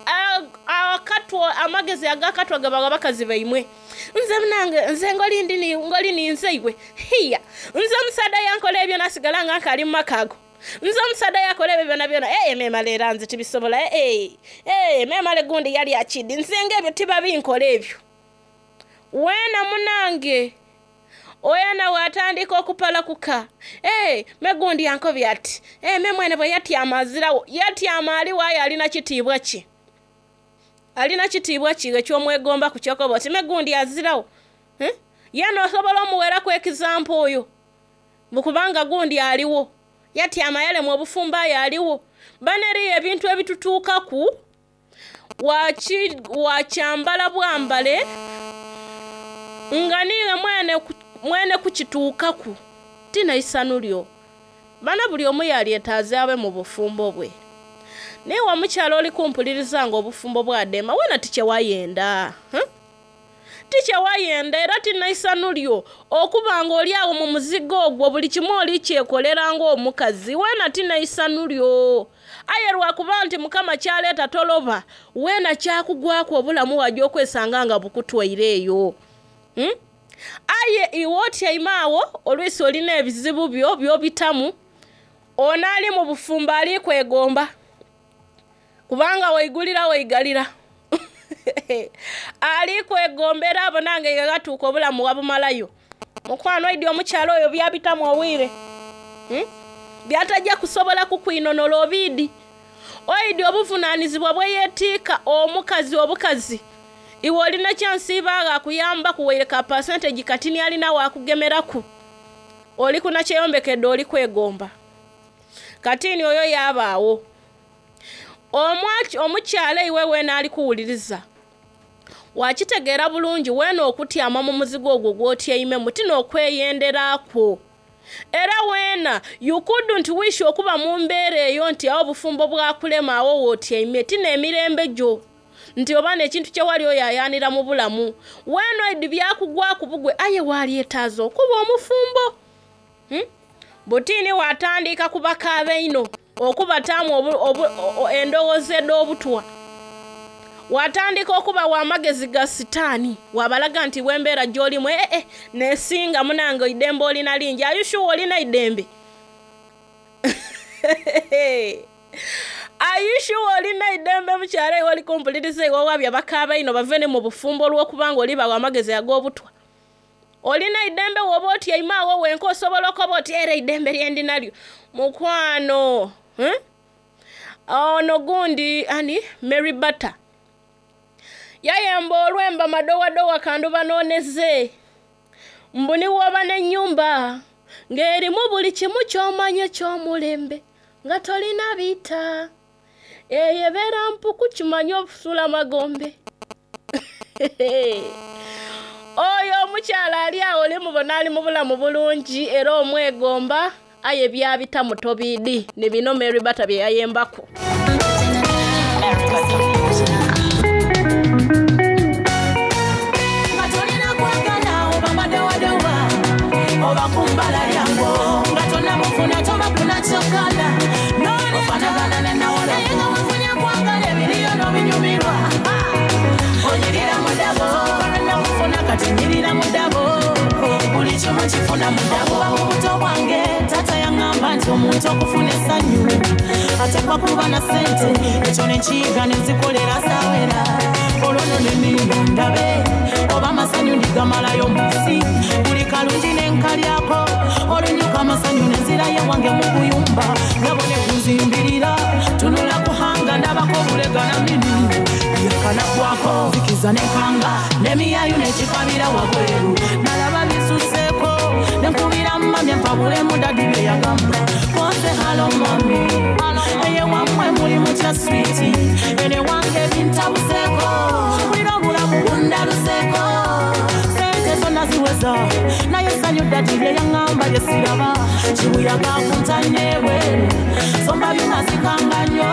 Akatwa amagezi agakatwa gabawa abakazi baimwe. Nze munange nze ngoli ndi ngoli ninze iwe. Hiya. Nze omusaadha yankola ebyo nasigala nga nkaali mu maka ago. Nze omusaadha yakola ebyo byona byona. Eh memale era nze tibisobola. Eh eh memale gundi yali akidi. Nze ng'ebyo tiba binkola ebyo. Weena munange. Oyana bw'atandika okupalakuka. Eh me gundi yankobye ati. Eh me mwene bwe yatyama azirawo. Yatyama ali waayo alina kitiibwa ki? Alina kitiibwa ki eky'omwegomba ku kyokoba oti me gundi azirawo. Eh? Yena osobola omuweraku ekizampa oyo. Kubanga gundi aliwo. Yatyama yalemwa obufumbo aye aliwo. Bano eriyo ebintu ebitutuukaku wakyambala bwambale nga niiwe mwene kukituukaku tina isanu lyo. Bana buli omu yalyetaaze abe mu bufumbo bwe. Naye omukyala oli kumpuliriza nga obufumbo bwadema wena tikyewayenda. Tikyewayenda era tina isanu lyo okuba nga oli awo mu muzigo ogwo buli kimu oli kyekolera ng'omukazi wena tina isanu lyo. Aye lwakuba nti Mukama kyaleeta toloba weena kyakugwaku obulamu wajja okwesanga nga bukutwaire eyo. Aye iwe otyaime awo olwisi olina ebizibu byo by'obitamu ono ali mu bufumbo ali kwegomba kubanga waigulira waigalira. Ali kwegombera abo nange nga gatuuka obulamu wabumalayo. Mukwano oidi omukyala oyo byabitamu obwire. Byatajja kusobola kukwinonola obiidi. Oidi obuvunaanyizibwa bwe yeetiika omukazi obukazi. Iwe olina kyansiiba akuyamba kuwaire ka percentage katini alina wakugemeraku. Oli kuna kyeyombekedde oli kwegomba. Kati ni oyo yaabaawo. Omukyala iwe weena ali kuwuliriza wakitegeera bulungi weena okutyama mu muzigo ogwo gw'otyaimemu ti n'okweyenderakwo. Era weena you couldn't wish okuba mu mbeera eyo nti awo obufumbo bwakulema awo w'otyaime ti n'emirembe gyo nti oba n'ekintu kye wali oyayaanira mu bulamu. Weena oidi byakugwaku bugwe aye walyetaaza okuba omufumbo. Butiini watandika kubakaaba ino okubataamu endowooza ed'obutwa. Watandika okubawa amagezi ga sitaani wabalaga nti wembeera gy'olimu nesinga munange idembe olina lingi. Are you sure olina idembe? Are you sure olina idembe mukyala iwe oli kumpuliriza iwe wabya bakaaba ino bave ne mu bufumbo olw'okubanga olibawa amagezi ag'obutwa? Olina idembe woba otyaime awo wenka osobola okoba oti era idembe lyendinalyo mukwano. Ono gundi ani Mary Bata yayemba olwemba madowadowa kandu banooneze mbu niwoba n'ennyumba ng'erimu buli kimu ky'omanye ky'omulembe nga tolina biita eyo ebeera mpuku kimanye obusula magombe. Oyo omukyala ali awo olimubona ali mu bulamu bulungi era omwegomba aye byabita mutobiidi ni bino Mary Bata bye yayembako. Nga tolina kwagala oba madowadowa oba kumbala lyango nga tonamufuna tobakuna kyokala ofanagana nenawolo naye nga wafunye kwagala ebiriyo n'obinyumirwa onyirira mudabo namufuna kati nyirira mudabo buli kimu kifuna mudabo. Mu buto bwange taata yaŋŋamba nti omuntu okufuna essanyu atekwa kuba na ssente ekyo nekiyiga nenzikolera sawera olwo nno neninda ndabe oba amasanyu ndigamalayo mu nsi buli kalungi nenkalyako olunyuka amasanyu nenzirayo wange mu buyumba nabo ne kunzimbirira tunula kuhanga ndabako obulega na mini yakanakwako nzikiza nenkanga nemiyayu nekikabira wabweru nalaba bisuseeko nenkubira mami mpabulemu dadi bye yagamba konze halo mami eye wammwe muli mutya switi ene wange bintabuseeko bulira obulamu bundaluseeko sente zonna ziweza naye essanyu dadi lye yaŋŋamba lye siraba kibuyaga kuntanye ebweru somba byumazikanga nnyo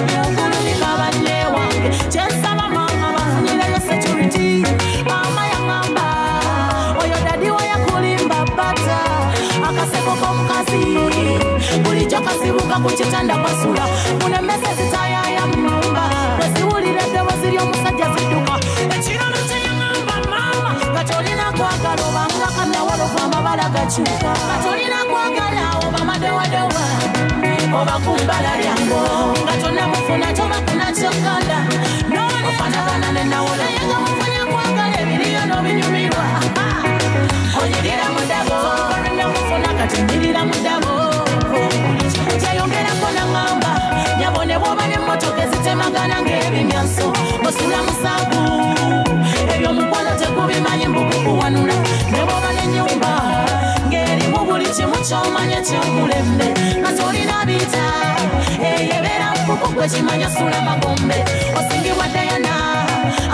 byengulu bikaba nne wange kyensaba mama bafunyireyo security mama yaŋŋamba oyo dadi we yakulimba bata akaseko k'omukazi bulijjo kasibuka ku kitanda kwasula munemese zitayaya mu nyumba bweziwulira eddoboozi ly'omusajja zidduka ekirolo kye yaŋŋamba mama nga tolina kwagala obanga kannawolovu amabala gakyuka nga tolina kwagala oba madowadowa oba kumbala lyango nga tonamufuna tobakuna kyokala ofanagana nenawolo naye nga mufunye kwagala ebiriyo n'obinyumirwa onyirira mudabo namufuna kati nyirira mudabo kyeyongerako naŋŋamba nyabo ne bw'oba n'emmotoka ezitemagana ng'ebimyanso osula musanvu ebyomukwano tekubimanyi mbukukuwanula ne bw'oba n'ennyumba ng'erimu buli kimu ky'omanye ky'omulembe nga tolina biita eyo ebeera mpuku gwe kimanya sula magombe osingibwa Dayana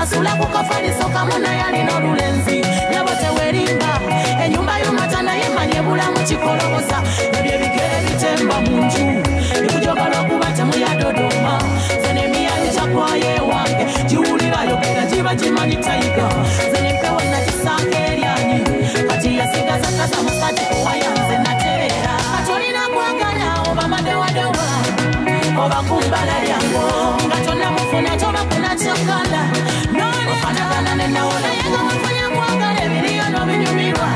asula ku kafaliso kamu naye alina olulenzi nyabo tewerimba ennyumba y'omata naye manye bulamu kikoloboza ebyo ebigere bitemba mu nju bikujoga lwakuba temuyadodoma nze n'emiyayu kyakwayo ewange giwulira yogera giba gimanyi tayiga nze nempewo nagisaako eryanyi kati yasigaza kaza musati kuwaya nze natereera katolina kwagala oba madowadowa oba kumbala lyango nga tonamufuna tobakuna kyokala ofanagana nenawolo naye nga wafunye kwagala ebiriyo n'obinyumirwa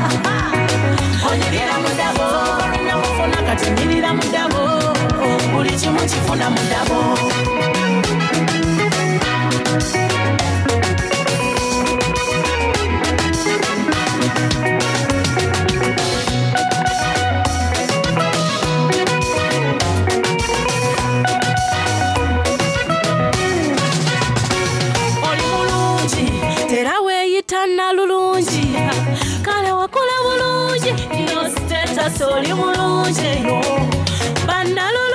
onyirira mudabo namufuna kati nyirira mudabo buli kimu kifuna mudabo. Oli mulungi era weeyita nalulungi kale wakola bulungi no status oli mulungi bannalulungi.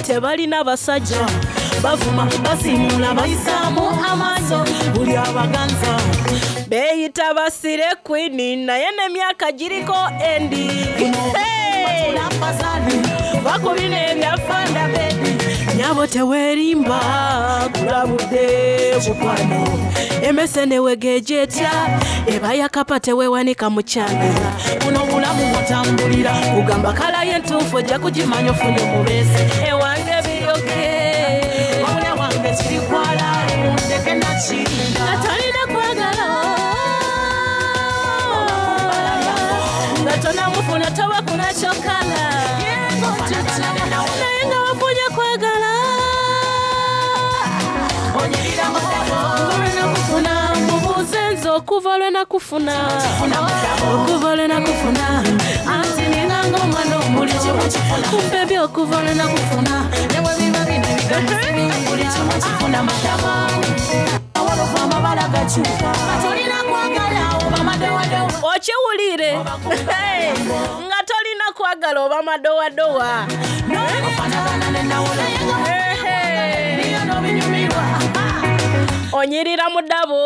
Tebalina basajja. Bavuma, basiimuula, bayisaamu amaaso buli abaganza. Beeyita basire kwini naye n'emyaka giriko endi. Hey! Bakubina ebyafanda bebi. Nyabo teweerimba, kulabudde mukwano. Emmese newegeeja etya, eba yakapa teweewanika mu kyana. Buno bulamu bw'otambulira, kugamba kala y'entuufu ojja kugimanya ofune omubeezi. Ewange biyoge. Wabula wange kiri kwala, mundeke nakirinda. Nga tolina kwagala. Nga tonamufuna toba kunakyokala. Naye nga wafunye kwagala. Okuva lwe nakufuna, mubuuze nze okuva lwe nakufuna. Okuva lwe nakufuna, anti ninga ng'omwana buli kimu kifuna. Kumpe okuva lwe nakufuna. Ne bwe biba bino ebigambo buli kimu kifuna madabo. Awalovu amabala gakyuka. Tolina kwagala oba madowadowa. Okiwulire nga tolina kwagala oba madowadowa. Ofaanagana ne Nawolo. N'obinyumirwa. Onyirira mu ddabo,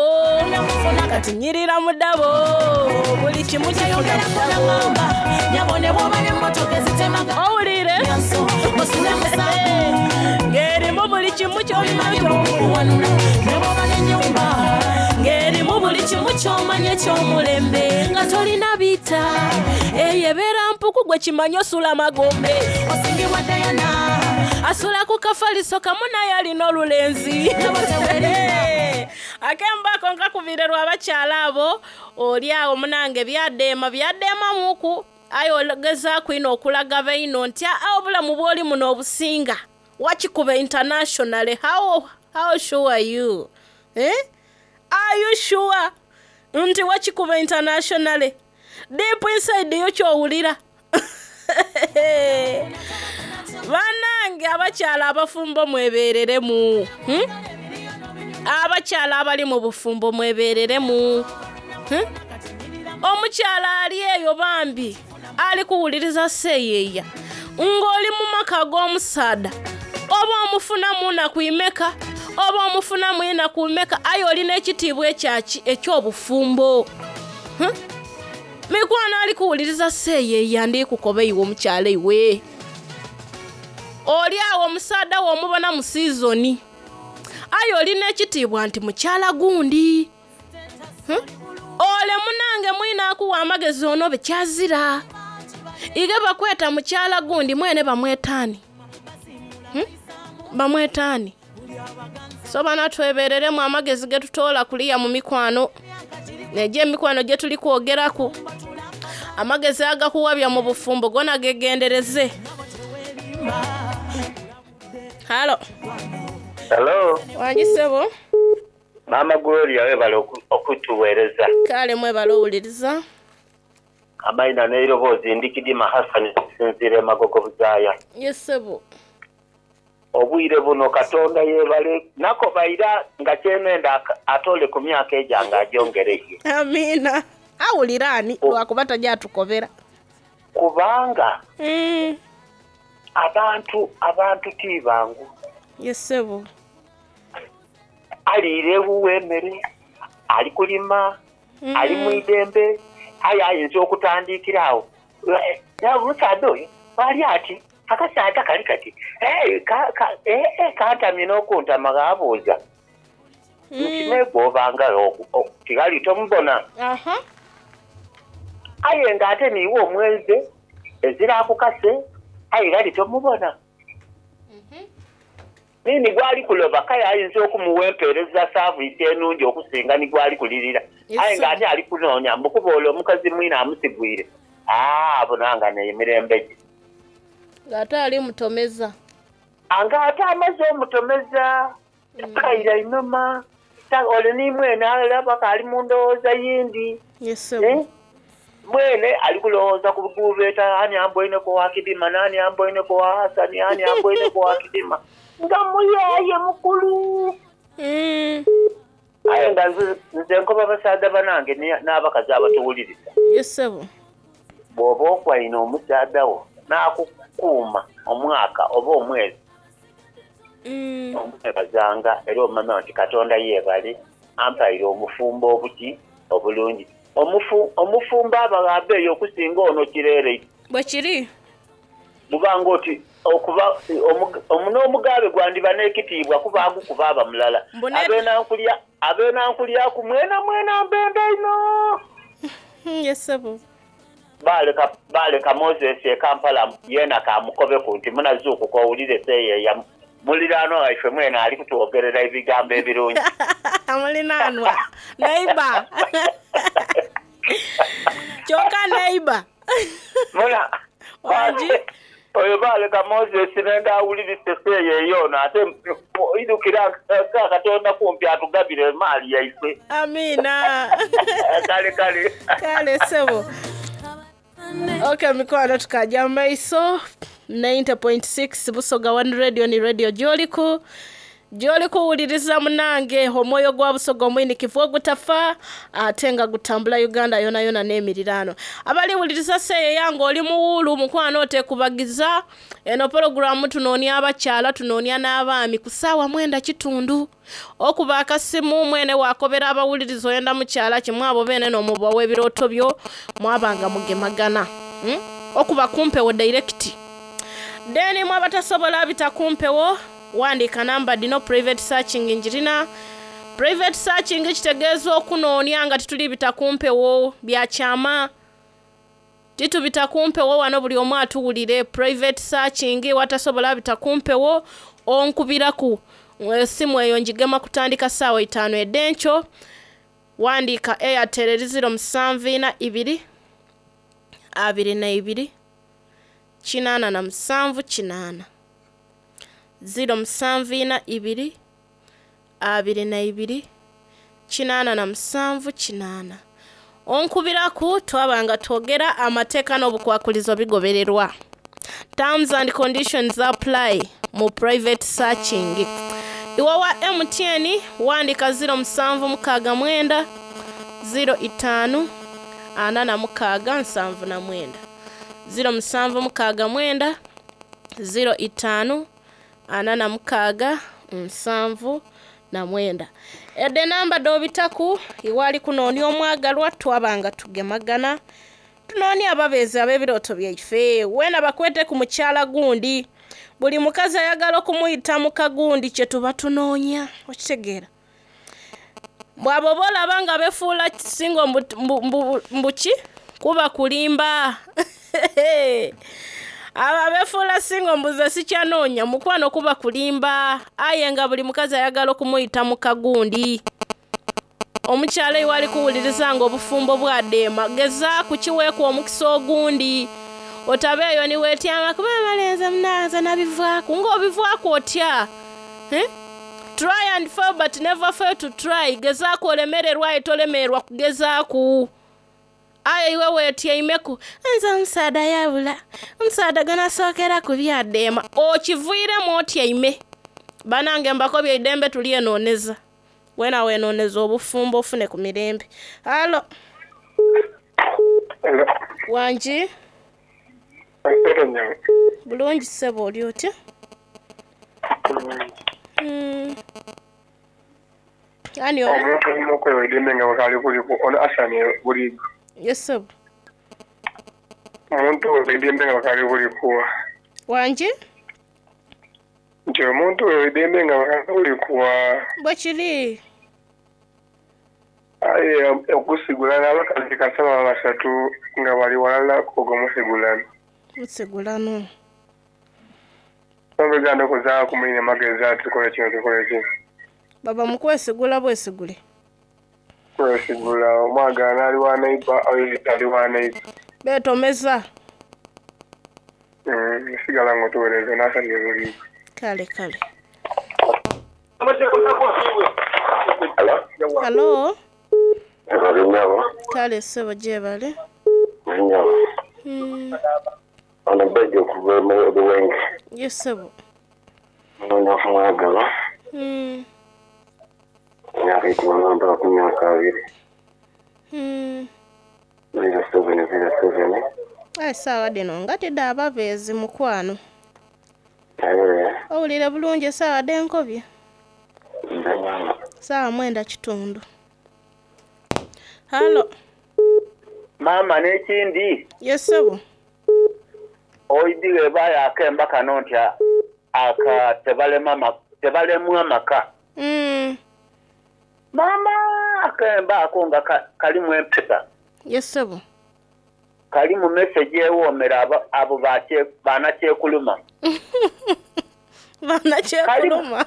kati nyirira mu ddabo, buli kimu kifuna mu ddabo. Nyabo ne bw'oba n'emmotoka ezitemaga. Owulire Osule musango. Ng'erimu buli kimu ky'olina ky'okuwanula. Ne bw'oba n'ennyumba. Ng'erimu buli kimu ky'omanya eky'omulembe. Nga tolina bita, eyo ebeera mpuku gwe kimanyi osula magombe. Osingibwa Diana. Asula ku kafaliso kamu naye alina olulenzi. Akembaako nkakubire lw'abakyala abo oli awo munange byadeema byadeemamuku aye ogezaaku ino okulaga baino nti aa obulamu bw'oli muno obusinga wakikuba internationally. How sure are you? Eh? Are you sure nti wakikuba internationally? Deep inside yo ky'owulira. Bannange abakyala abafumbo mwebeereremu. Abakyala abali mu bufumbo mwebeereremu. Omukyala ali eyo bambi ali kuwuliriza seeyeeya ng'oli mu maka g'omusaada oba omufunamu naku imeka oba omufunamu enaku imeka aye olina ekitiibwa ekyaki eky'obufumbo. Mikwano ali kuwuliriza seeyeeya ndi kukoba iwe omukyala iwe. Oli awo omusaada wo omubona mu siizoni aye olina ekitiibwa nti mukyala gundi. Ole munange mwina akuwa amagezi ono bekyazira. Ige bakweta mukyala gundi mwene bamwetaani. Bamwetaani. So bana twebereremu amagezi ge tutoola kuliya mu mikwano. Neje emikwano gye tuli kwogeraku. Amagezi agakuwabya mu bufumbo gona gegendereze. Halo. Hello. Wangi ssebo. Maama Gloria webale okutuweereza. Kale mwebale owuliriza. Amayina n'eiroboozi ndi Kidima Hassan okusinziira e Magogo Buzaaya. Yes ssebo. Obwire buno Katonda yeebale nakobaira nga kyenenda atole ku myaka egyange agyongereye. Amiina. Awulira ani lwakuba tajja atukobera. Kubanga abantu ti bangu. Yes ssebo. Aliire ewuwe emmere, ali kulima, ali mu idembe, aye ayinza okutandikira awo. Omusaadha oyo ali ati akasaadha kali kati kantamye n'okuntama gaabuuza. Nti neegwobanga tigali tomubona. Aye ng'ate niiwe omwenze ezira akukase aye gali tomubona. Nini gwali kuloba kale ayinza okumuwa empeereza saaviisi ennungi okusinga ni gwali kulirira. Aye ng'ate ali kunoonya mbukuba olwo omukazi mwine amusigwire. Abo nanga n'emirembe gye. Ng'ate ali mutomeza. Ng'ate amaze omutomeza. Kaira inuma. Ole ni mwene alaba kali mu ndowooza yindi. Yes, Mwene ali kulowooza ku bugubeeta ani amboineko wa Kidima nani amboineko wa Hasani ani amboineko wa Kidima. Nga muyaye mukulu. Aye nga nze nkoba basaadha banange n'abakazi abatuwuliriza. Yes, ssebo. Bw'oba okwaine omusaadha wo n'akukuuma omwaka oba omwezi. Omwebazanga era omanya nti Katonda yeebale ampaire omufumbo obuti obulungi. Omufumbo aba gha beeyi okusinga ono kireere. Bwe kiri. Buba ng'oti okuba n'omugaabe gwandiba n'ekitiibwa kuba agukuba aba mulala. Ab'enankulyaku mwenamwena mbenda inho. Ye ssebo. Baaleka Moses e Kampala yeena kaamukobeku nti, Munazuukuka owulire seeyeeya muliraanwa waife mwene ali kutwogerera ebigambo ebirungi. Mulinaanwa? Neighbour. Kyoka neighbour. Muna, Wangi? Oyo baaleka Moses nenda awulirise seeyeeya ono ate idhukira nga Katonda kumpi atugabire emaali yaife. Amiina. Kale kale. Kale ssebo. Ok mikwano tukaja mu maiso 90.6 Busoga One Radio ni radio gyoliku gyoli kuwuliriza munange omwoyo gwa Busoga omwinikivu ogutafa ate nga gutambula Uganda yonayona n'emirirano. Abaliwuliriza seeyeya nga oli muwuulu mukwano otekubagiza eno pologulamu tunoonia abakyala tunoonia n'abaami ku ssaawa mwenda kitundu okuba akasimu mwene wakobera abawuliriza oyenda mukyala kimu abo beene n'omubawa ebirooto byo mwabanga mugemagana okuba kumpewo direct. Then mwe abatasobola bita kumpewo wandiika namba dino private searching njirina. Private searching kitegeeza okunoonia nga tituli bita kumpewo bya kyama. Titubita kumpewo wano buli omu atuwulire. Private searching watasobola bita kumpewo onkubiraku esimu eyo njigema kutandika ssaawa itaano ed'enkyo. Wandiika Airtel eri ziro musanvu ina ibiri abiri na ibiri kinaana na musanvu kinaana. Ziro musanvu ina ibiri abiri na ibiri kinaana na musanvu kinaana. Onkubiraku twaba nga twogera amateeka n'obukwakulizo bigobererwa. Terms and conditions apply mu private searching. Iwe wa MTN wandika ziro musanvu mukaaga mwenda ziro itaanu ana na mukaaga nsanvu na mwenda. Ziro musanvu mukaaga mwenda ziro itaanu ana na mukaaga nsanvu na mwenda. Ede namba dh'obitaku iwe ali kunoonia omwagalwa twaba nga tugemagana tunoonia ababeezi ab'ebirooto byaife. Weena bakwete ku mukyala gundi. Buli mukazi ayagala okumuyita muka gundi kye tuba tunoonya. Okitegeera? Bw'abo oba olaba nga befuula singo mbuki kuba kulimba. Abo abefuula singo mbuze sikyanoonya mukwano kuba kulimba. Aye nga buli mukazi ayagala okumuyita muka gundi. Omukyala iwe ali kuwuliriza nga obufumbo bwadeema gezaaku kiweeku omukisa ogundi. Otabeeyo ni weetyama kuba amalenzi munanze nabivaaku ng'obivaaku otya? Try and fail but never fail to try. Gezaaku olemererwa aye tolemererwa kugezaaku. Aye iwe weetyaimeku nze omusaadha yabula omusaadha gwenasookera ku byadeema okiviiremu otyaime. Banange mbakobye eidembe tulyenooneza. Weena weenooneza obufumbo ofune ku mirembe. Halo. Wangi? Bulungi ssebo oli otya? Ani ono? Omuntu olina okwewa eddembe nga bwekali kuliku ono Asani Buligo. Yes ssebo. Omuntu wewa eddembe nga bwekali kulikuwa. Wangi? Nti omuntu wewa eddembe nga bwekali kulikuwa. Bwe kiri. Aye okusigulana abakazi kasaba basatu nga bali walala ogwo musigulano. Musigulano. Obiganda okuzaaku mwine magezi ati tukole kino tukole kino. Baba mukwesigula bwesigule. Kwesigula omwagala ali wa neighbor oyo ali wa neighbor. Beetomeza. Sigala ng'otuweereza n'asanye buligo. Kale kale. Hello? Hello? Nyabo. Kale ssebo gyebale. Nyabo. Ono Bejo okuva mu Buwenge. Yes ssebo. Noonya omwagalwa. Emyaka ikumi mpaka ku myaka abiri. 0707. Aye essaawa dhino nga tidha ababeezi mukwano. Owulire bulungi esaawa dhenkobye? Nze nyama. Saawa 9 kitundu. Halo. Maama n'ekindi. Yes sebo. Oidire ebaayo akemba kano nti aka tebalema tebalemu amaka. Maama akemba ako nga kalimu empesa. Yes sebo. Kalimu message ewoomera abo banakyekuluma. Banakyekuluma.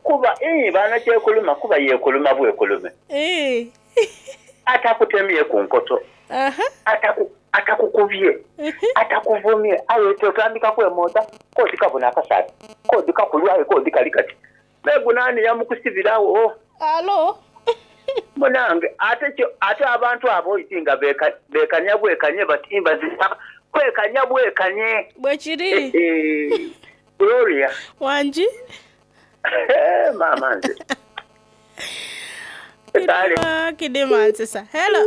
Kuba banakyekuluma kuba yekuluma bwekulume. Atakutemye ku nkoto. Atakukubye. Atakuvumye. Aye otandika kwemooza kodi kabona akasaati. Kodi kakulwaye kodi kali kati. Megunani yamukusibirawo. Alo. Munange ate abantu abo oitinga bekanya bwekanye batimba kwekanya bwekanye. Bwekiri. Gloria. Wanji. Mama nze. Kidima nsisa. Hello.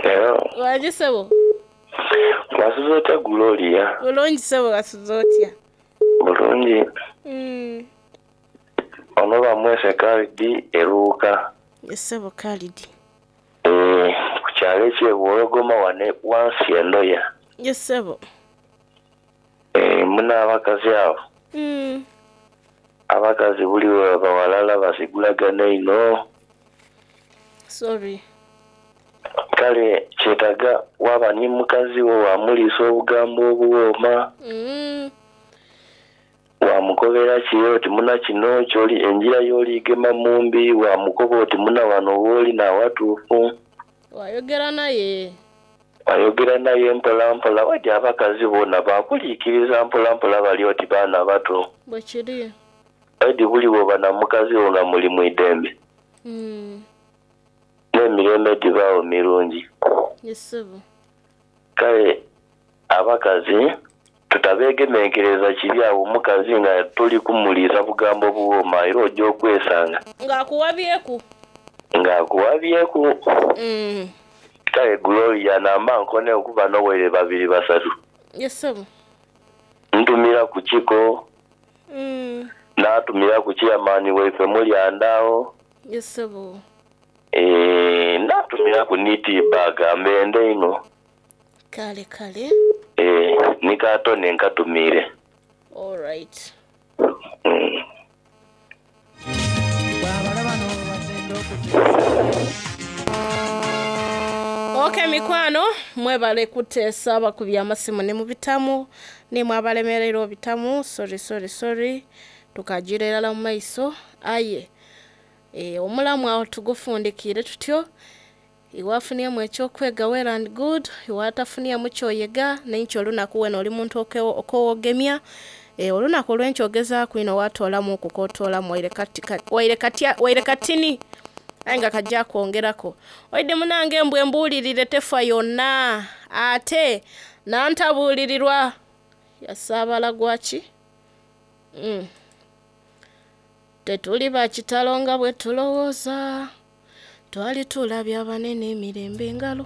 Hello. Wanji sebo. Wasuze otya Gloria? Bulungi sebo, wasuze otya? Bulungi. Ono bamwese Khalidi eruuka. Sebo Khalidi. Ku kyalo eky'Ewologoma wane wansi endoya. Yes sebo. Muna abakazi abo. Abakazi buli bawalala basigulagana ino. Sorry. Kale kyetaga waba ni mukazi wo wamuliisa obugambo obuwooma. Wamukobera kiyo oti muna kino kyoli enjira y'oligema mumbi, wamukoba oti muna wano wooli nawatuufu. Wayogera naye. Wayogera naye mpola mpola, wadi abakazi boona bakuliikiriza mpola mpola bali oti baana bato. Bwekiri. Edi buli bw'oba na mukazi wo nga muli mu idembe. N'emirembe gibaawo mirungi. Yes sebo. Kale abakazi tutabeegemenkereza kibi awo omukazi nga tuli kumuliisa bugambo buwooma era ojja okwesanga. Ng'akuwabyeku. Ng'akuwabyeku. Kale Gloria namba nkone okuba n'obwere 2 3. Yes sebo. Ntumira ku kiko. N'atumira ku chairman waife mulyandaawo. Yes sebo. N'atumira ku nitibaga mbende ino. Kale kale. Nikatone nkatumire. All right. Okay mikwano, mwebale kuteesa abakubye amasimu ne mubitamu, ne mwabalemerera obitamu. Sorry sorry sorry. Tukagira erala mu maiso aye. Omulamu awo tugufundikire tutyo. Iwafuniyemu ekyokwega well and good, iwatafuniyemu kyoyega n'enkyo olunaku weno oli muntu okowogemya. Olunaku olw'enkyo ogezaaku ino watoolamu okukotoolamu waire katini aye nga kajja kwongerako. Oidde munange embwa embuulirire tefa yonna ate nantabuulirirwa yasaabala gwaki. Tetuli ba kitalo nga bwe tulowooza, twali tulabye abanene emirembe engalo.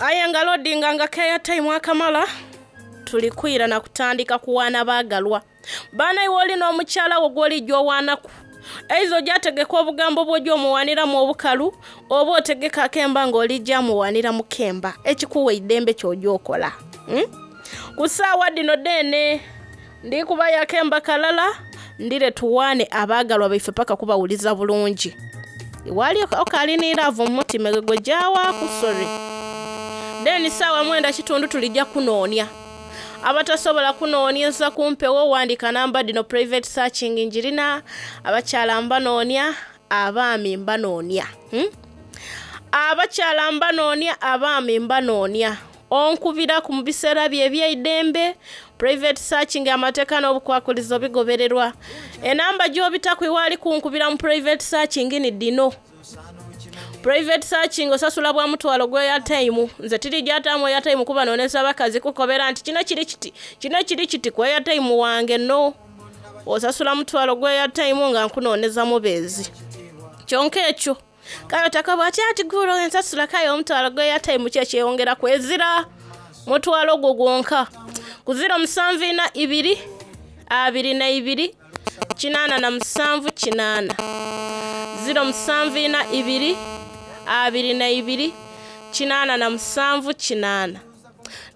Aye nga loadinga nga keya time akamala tuli kwira na kutandika kuwaana baagalwa. Baana iwe oli n'omukyala wo gw'olijja owaanaku. Eizo gy'ategeka obugambo bw'ojja omuwaaniramu obukalu, oba otegeka akemba ng'olijja amuwaanira mu kemba, ekikuwa eddembe ky'ojja okola. Ku ssaawa dino dene ndi kubayo akemba kalala ndire tuwaane abaagalwa baife paka kubawuliza bulungi. Iwali okalinira ava mu mutima gwe gyawaaku, sorry. Then ssaawa 9 kitundu tulijja kunoonya. Abatasobola kunoonyeza kumpewo wandika namba dino private searching njirina, abakyala mbanoonya, abaami mbanoonya. Abakyala mbanoonya, abaami mbanoonya. Onkubira ku biseera bye eby'eidembe, private searching amateeka n'obukwakulizo bigobererwa. Enamba gy'obitaku iwali kunkubira mu private searching ni dino. Private searching osasula bwa mutwalo gwe airtime. Nze tiri gy'ataamu airtime kuba nooneza abakazi kukobera nti kino kiri kiti, kino kiri kiti ku airtime wange no. Osasula mutwalo gwe airtime nga nkunooneza mubeezi. Kyonka ekyo Kale otakaba ati ati gulo ensasula kale omutwalo gwe airtime ki ekyeyongera kwezira mutwalo gwo gwonka. Ku 074 22 87 80 074 22 87 80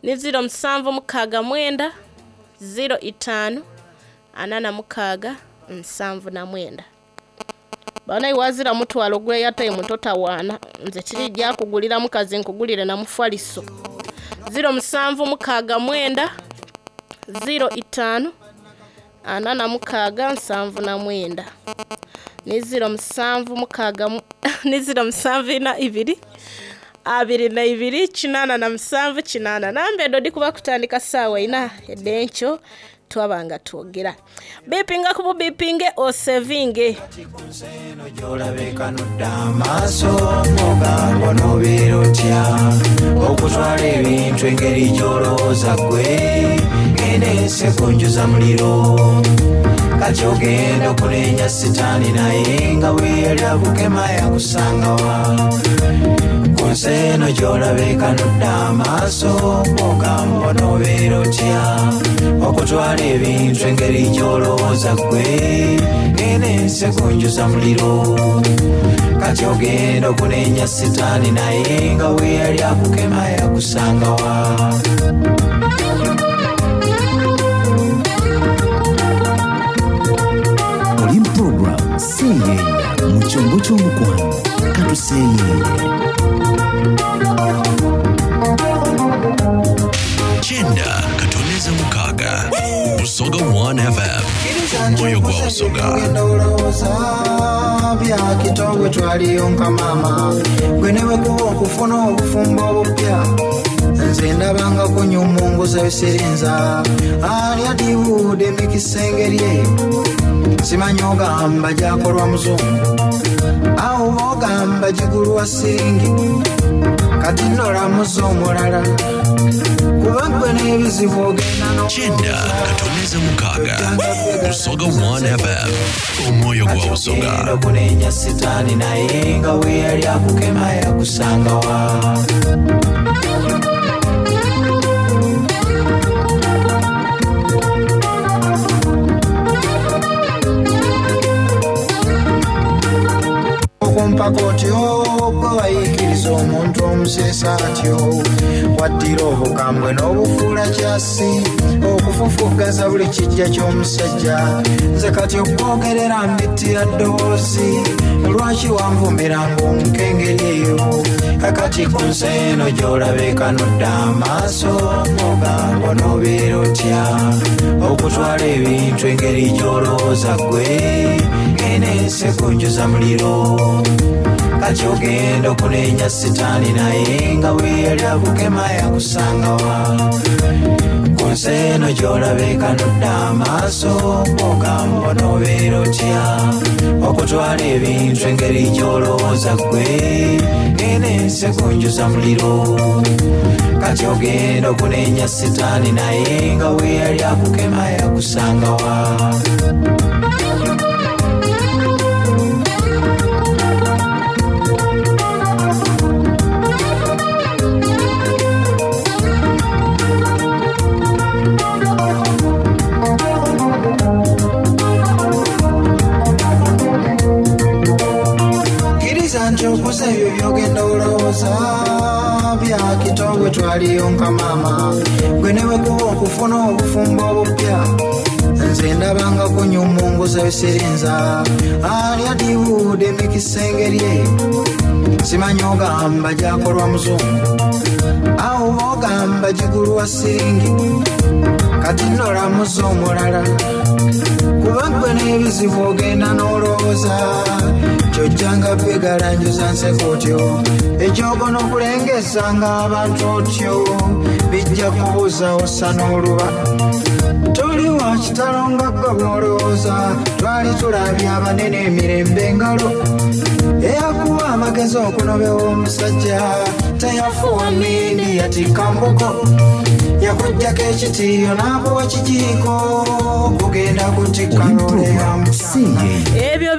ni 0769 05 46 79. Bana iwazira mutwalo gwe airtime totawaana, nze kirijja kugulira mukazi nkugulire na mufaliso. 0769 05 46 79 ni 07 ni 0742 22 87 80. Nambe dodi kuba kutandika saawa ina edenkyo twabanga twogera. Bipinga kubu bipinge osevinge. Gyolabeka nodda amaaso ogamba n'obeera otya okutwala ebintu engeri gy'olowooza ggwe genda ensi ekunjuza muliro kati ogenda okunenya sitaani naye nga bwe yali akukema yakusangawa ku nsi eno gy'olabeka nodda amaaso ogamba n'obeera otya okutwala ebintu engeri gy'olowooza ggwe genda ensi ekunjuza muliro kati ogenda okunenya sitaani naye nga bwe yali akukema yakusangawa. Oli program Seeyeeya mu kyombo ky'omukwano katuseeyeeye. Kyenda katoneza mukaaga Busoga 1 FM omwoyo gwa Busoga. Olowooza bya kitongwe twaliyonka maama gwe ne bwe kuba okufuna obufumbo obupya nze ndabanga kunyumunguza bisirinza ani adiwuuda emikisa engeri eyo simanyi ogamba gyakolwa muzungu awo ogamba gigulwa siringi kati nolamuza omulala kuba gwe n'ebizibu ogenda Kyenda katoneza mukaaga Busoga 1 FM omwoyo gwa Busoga. Okunenya sitaani naye nga bwe yali akukema yakusangawa. Okumpaka otyo gwe wayiikiriza omuntu omuseesa atyo waddira obukambwe n'obufuula kyasi okufufuggaza buli kijja ky'omusajja nze kati okwogerera mbittira ddoboozi lwaki wanvumiranga omukengeri eyo kakati ku nsi eno gy'olabeka nodda amaaso ogamba n'obeera otya okutwala ebintu engeri gy'olowooza ggwe genda ensi ekunjuza muliro kati ogenda okunenya sitaani naye nga bwe yali akukema yakusangawa ku nsi eno gy'olabeka nodda amaaso ogamba n'obeera otya okutwala ebintu engeri gy'olowooza ggwe genda ensi ekunjuza muliro kati ogenda okunenya sitaani naye nga bwe yali akukema yakusangawa. Kkiriza nti okuza ebyo by'ogenda olowooza bya kitongwe twaliyonka maama gwe ne bwe kuba okufuna obufumbo obupya nze ndabanga kunyumunguza bisirinza ani adiwuuda emikisa engeri eyo simanyi ogamba gyakolwa muzungu awo ogamba gigulwa siringi kati nolamuza omulala kuba gwe n'ebizibu ogenda n'olowooza kyojjanga begalanjuza nseko otyo ekyogo n'okulengezanga abantu otyo bijja kubuuza ossa n'oluba toli wa kitalo nga ggwe bw'olowooza twali tulabye abanene emirembe engalo eyakuwa amagezi okunobewa omusajja teyafuwa mindi yatikka mbuko yakuggyako ekitiiyo n'akuwa kijiiko kugenda kutikka Oli program Seeyeeya. Ebyo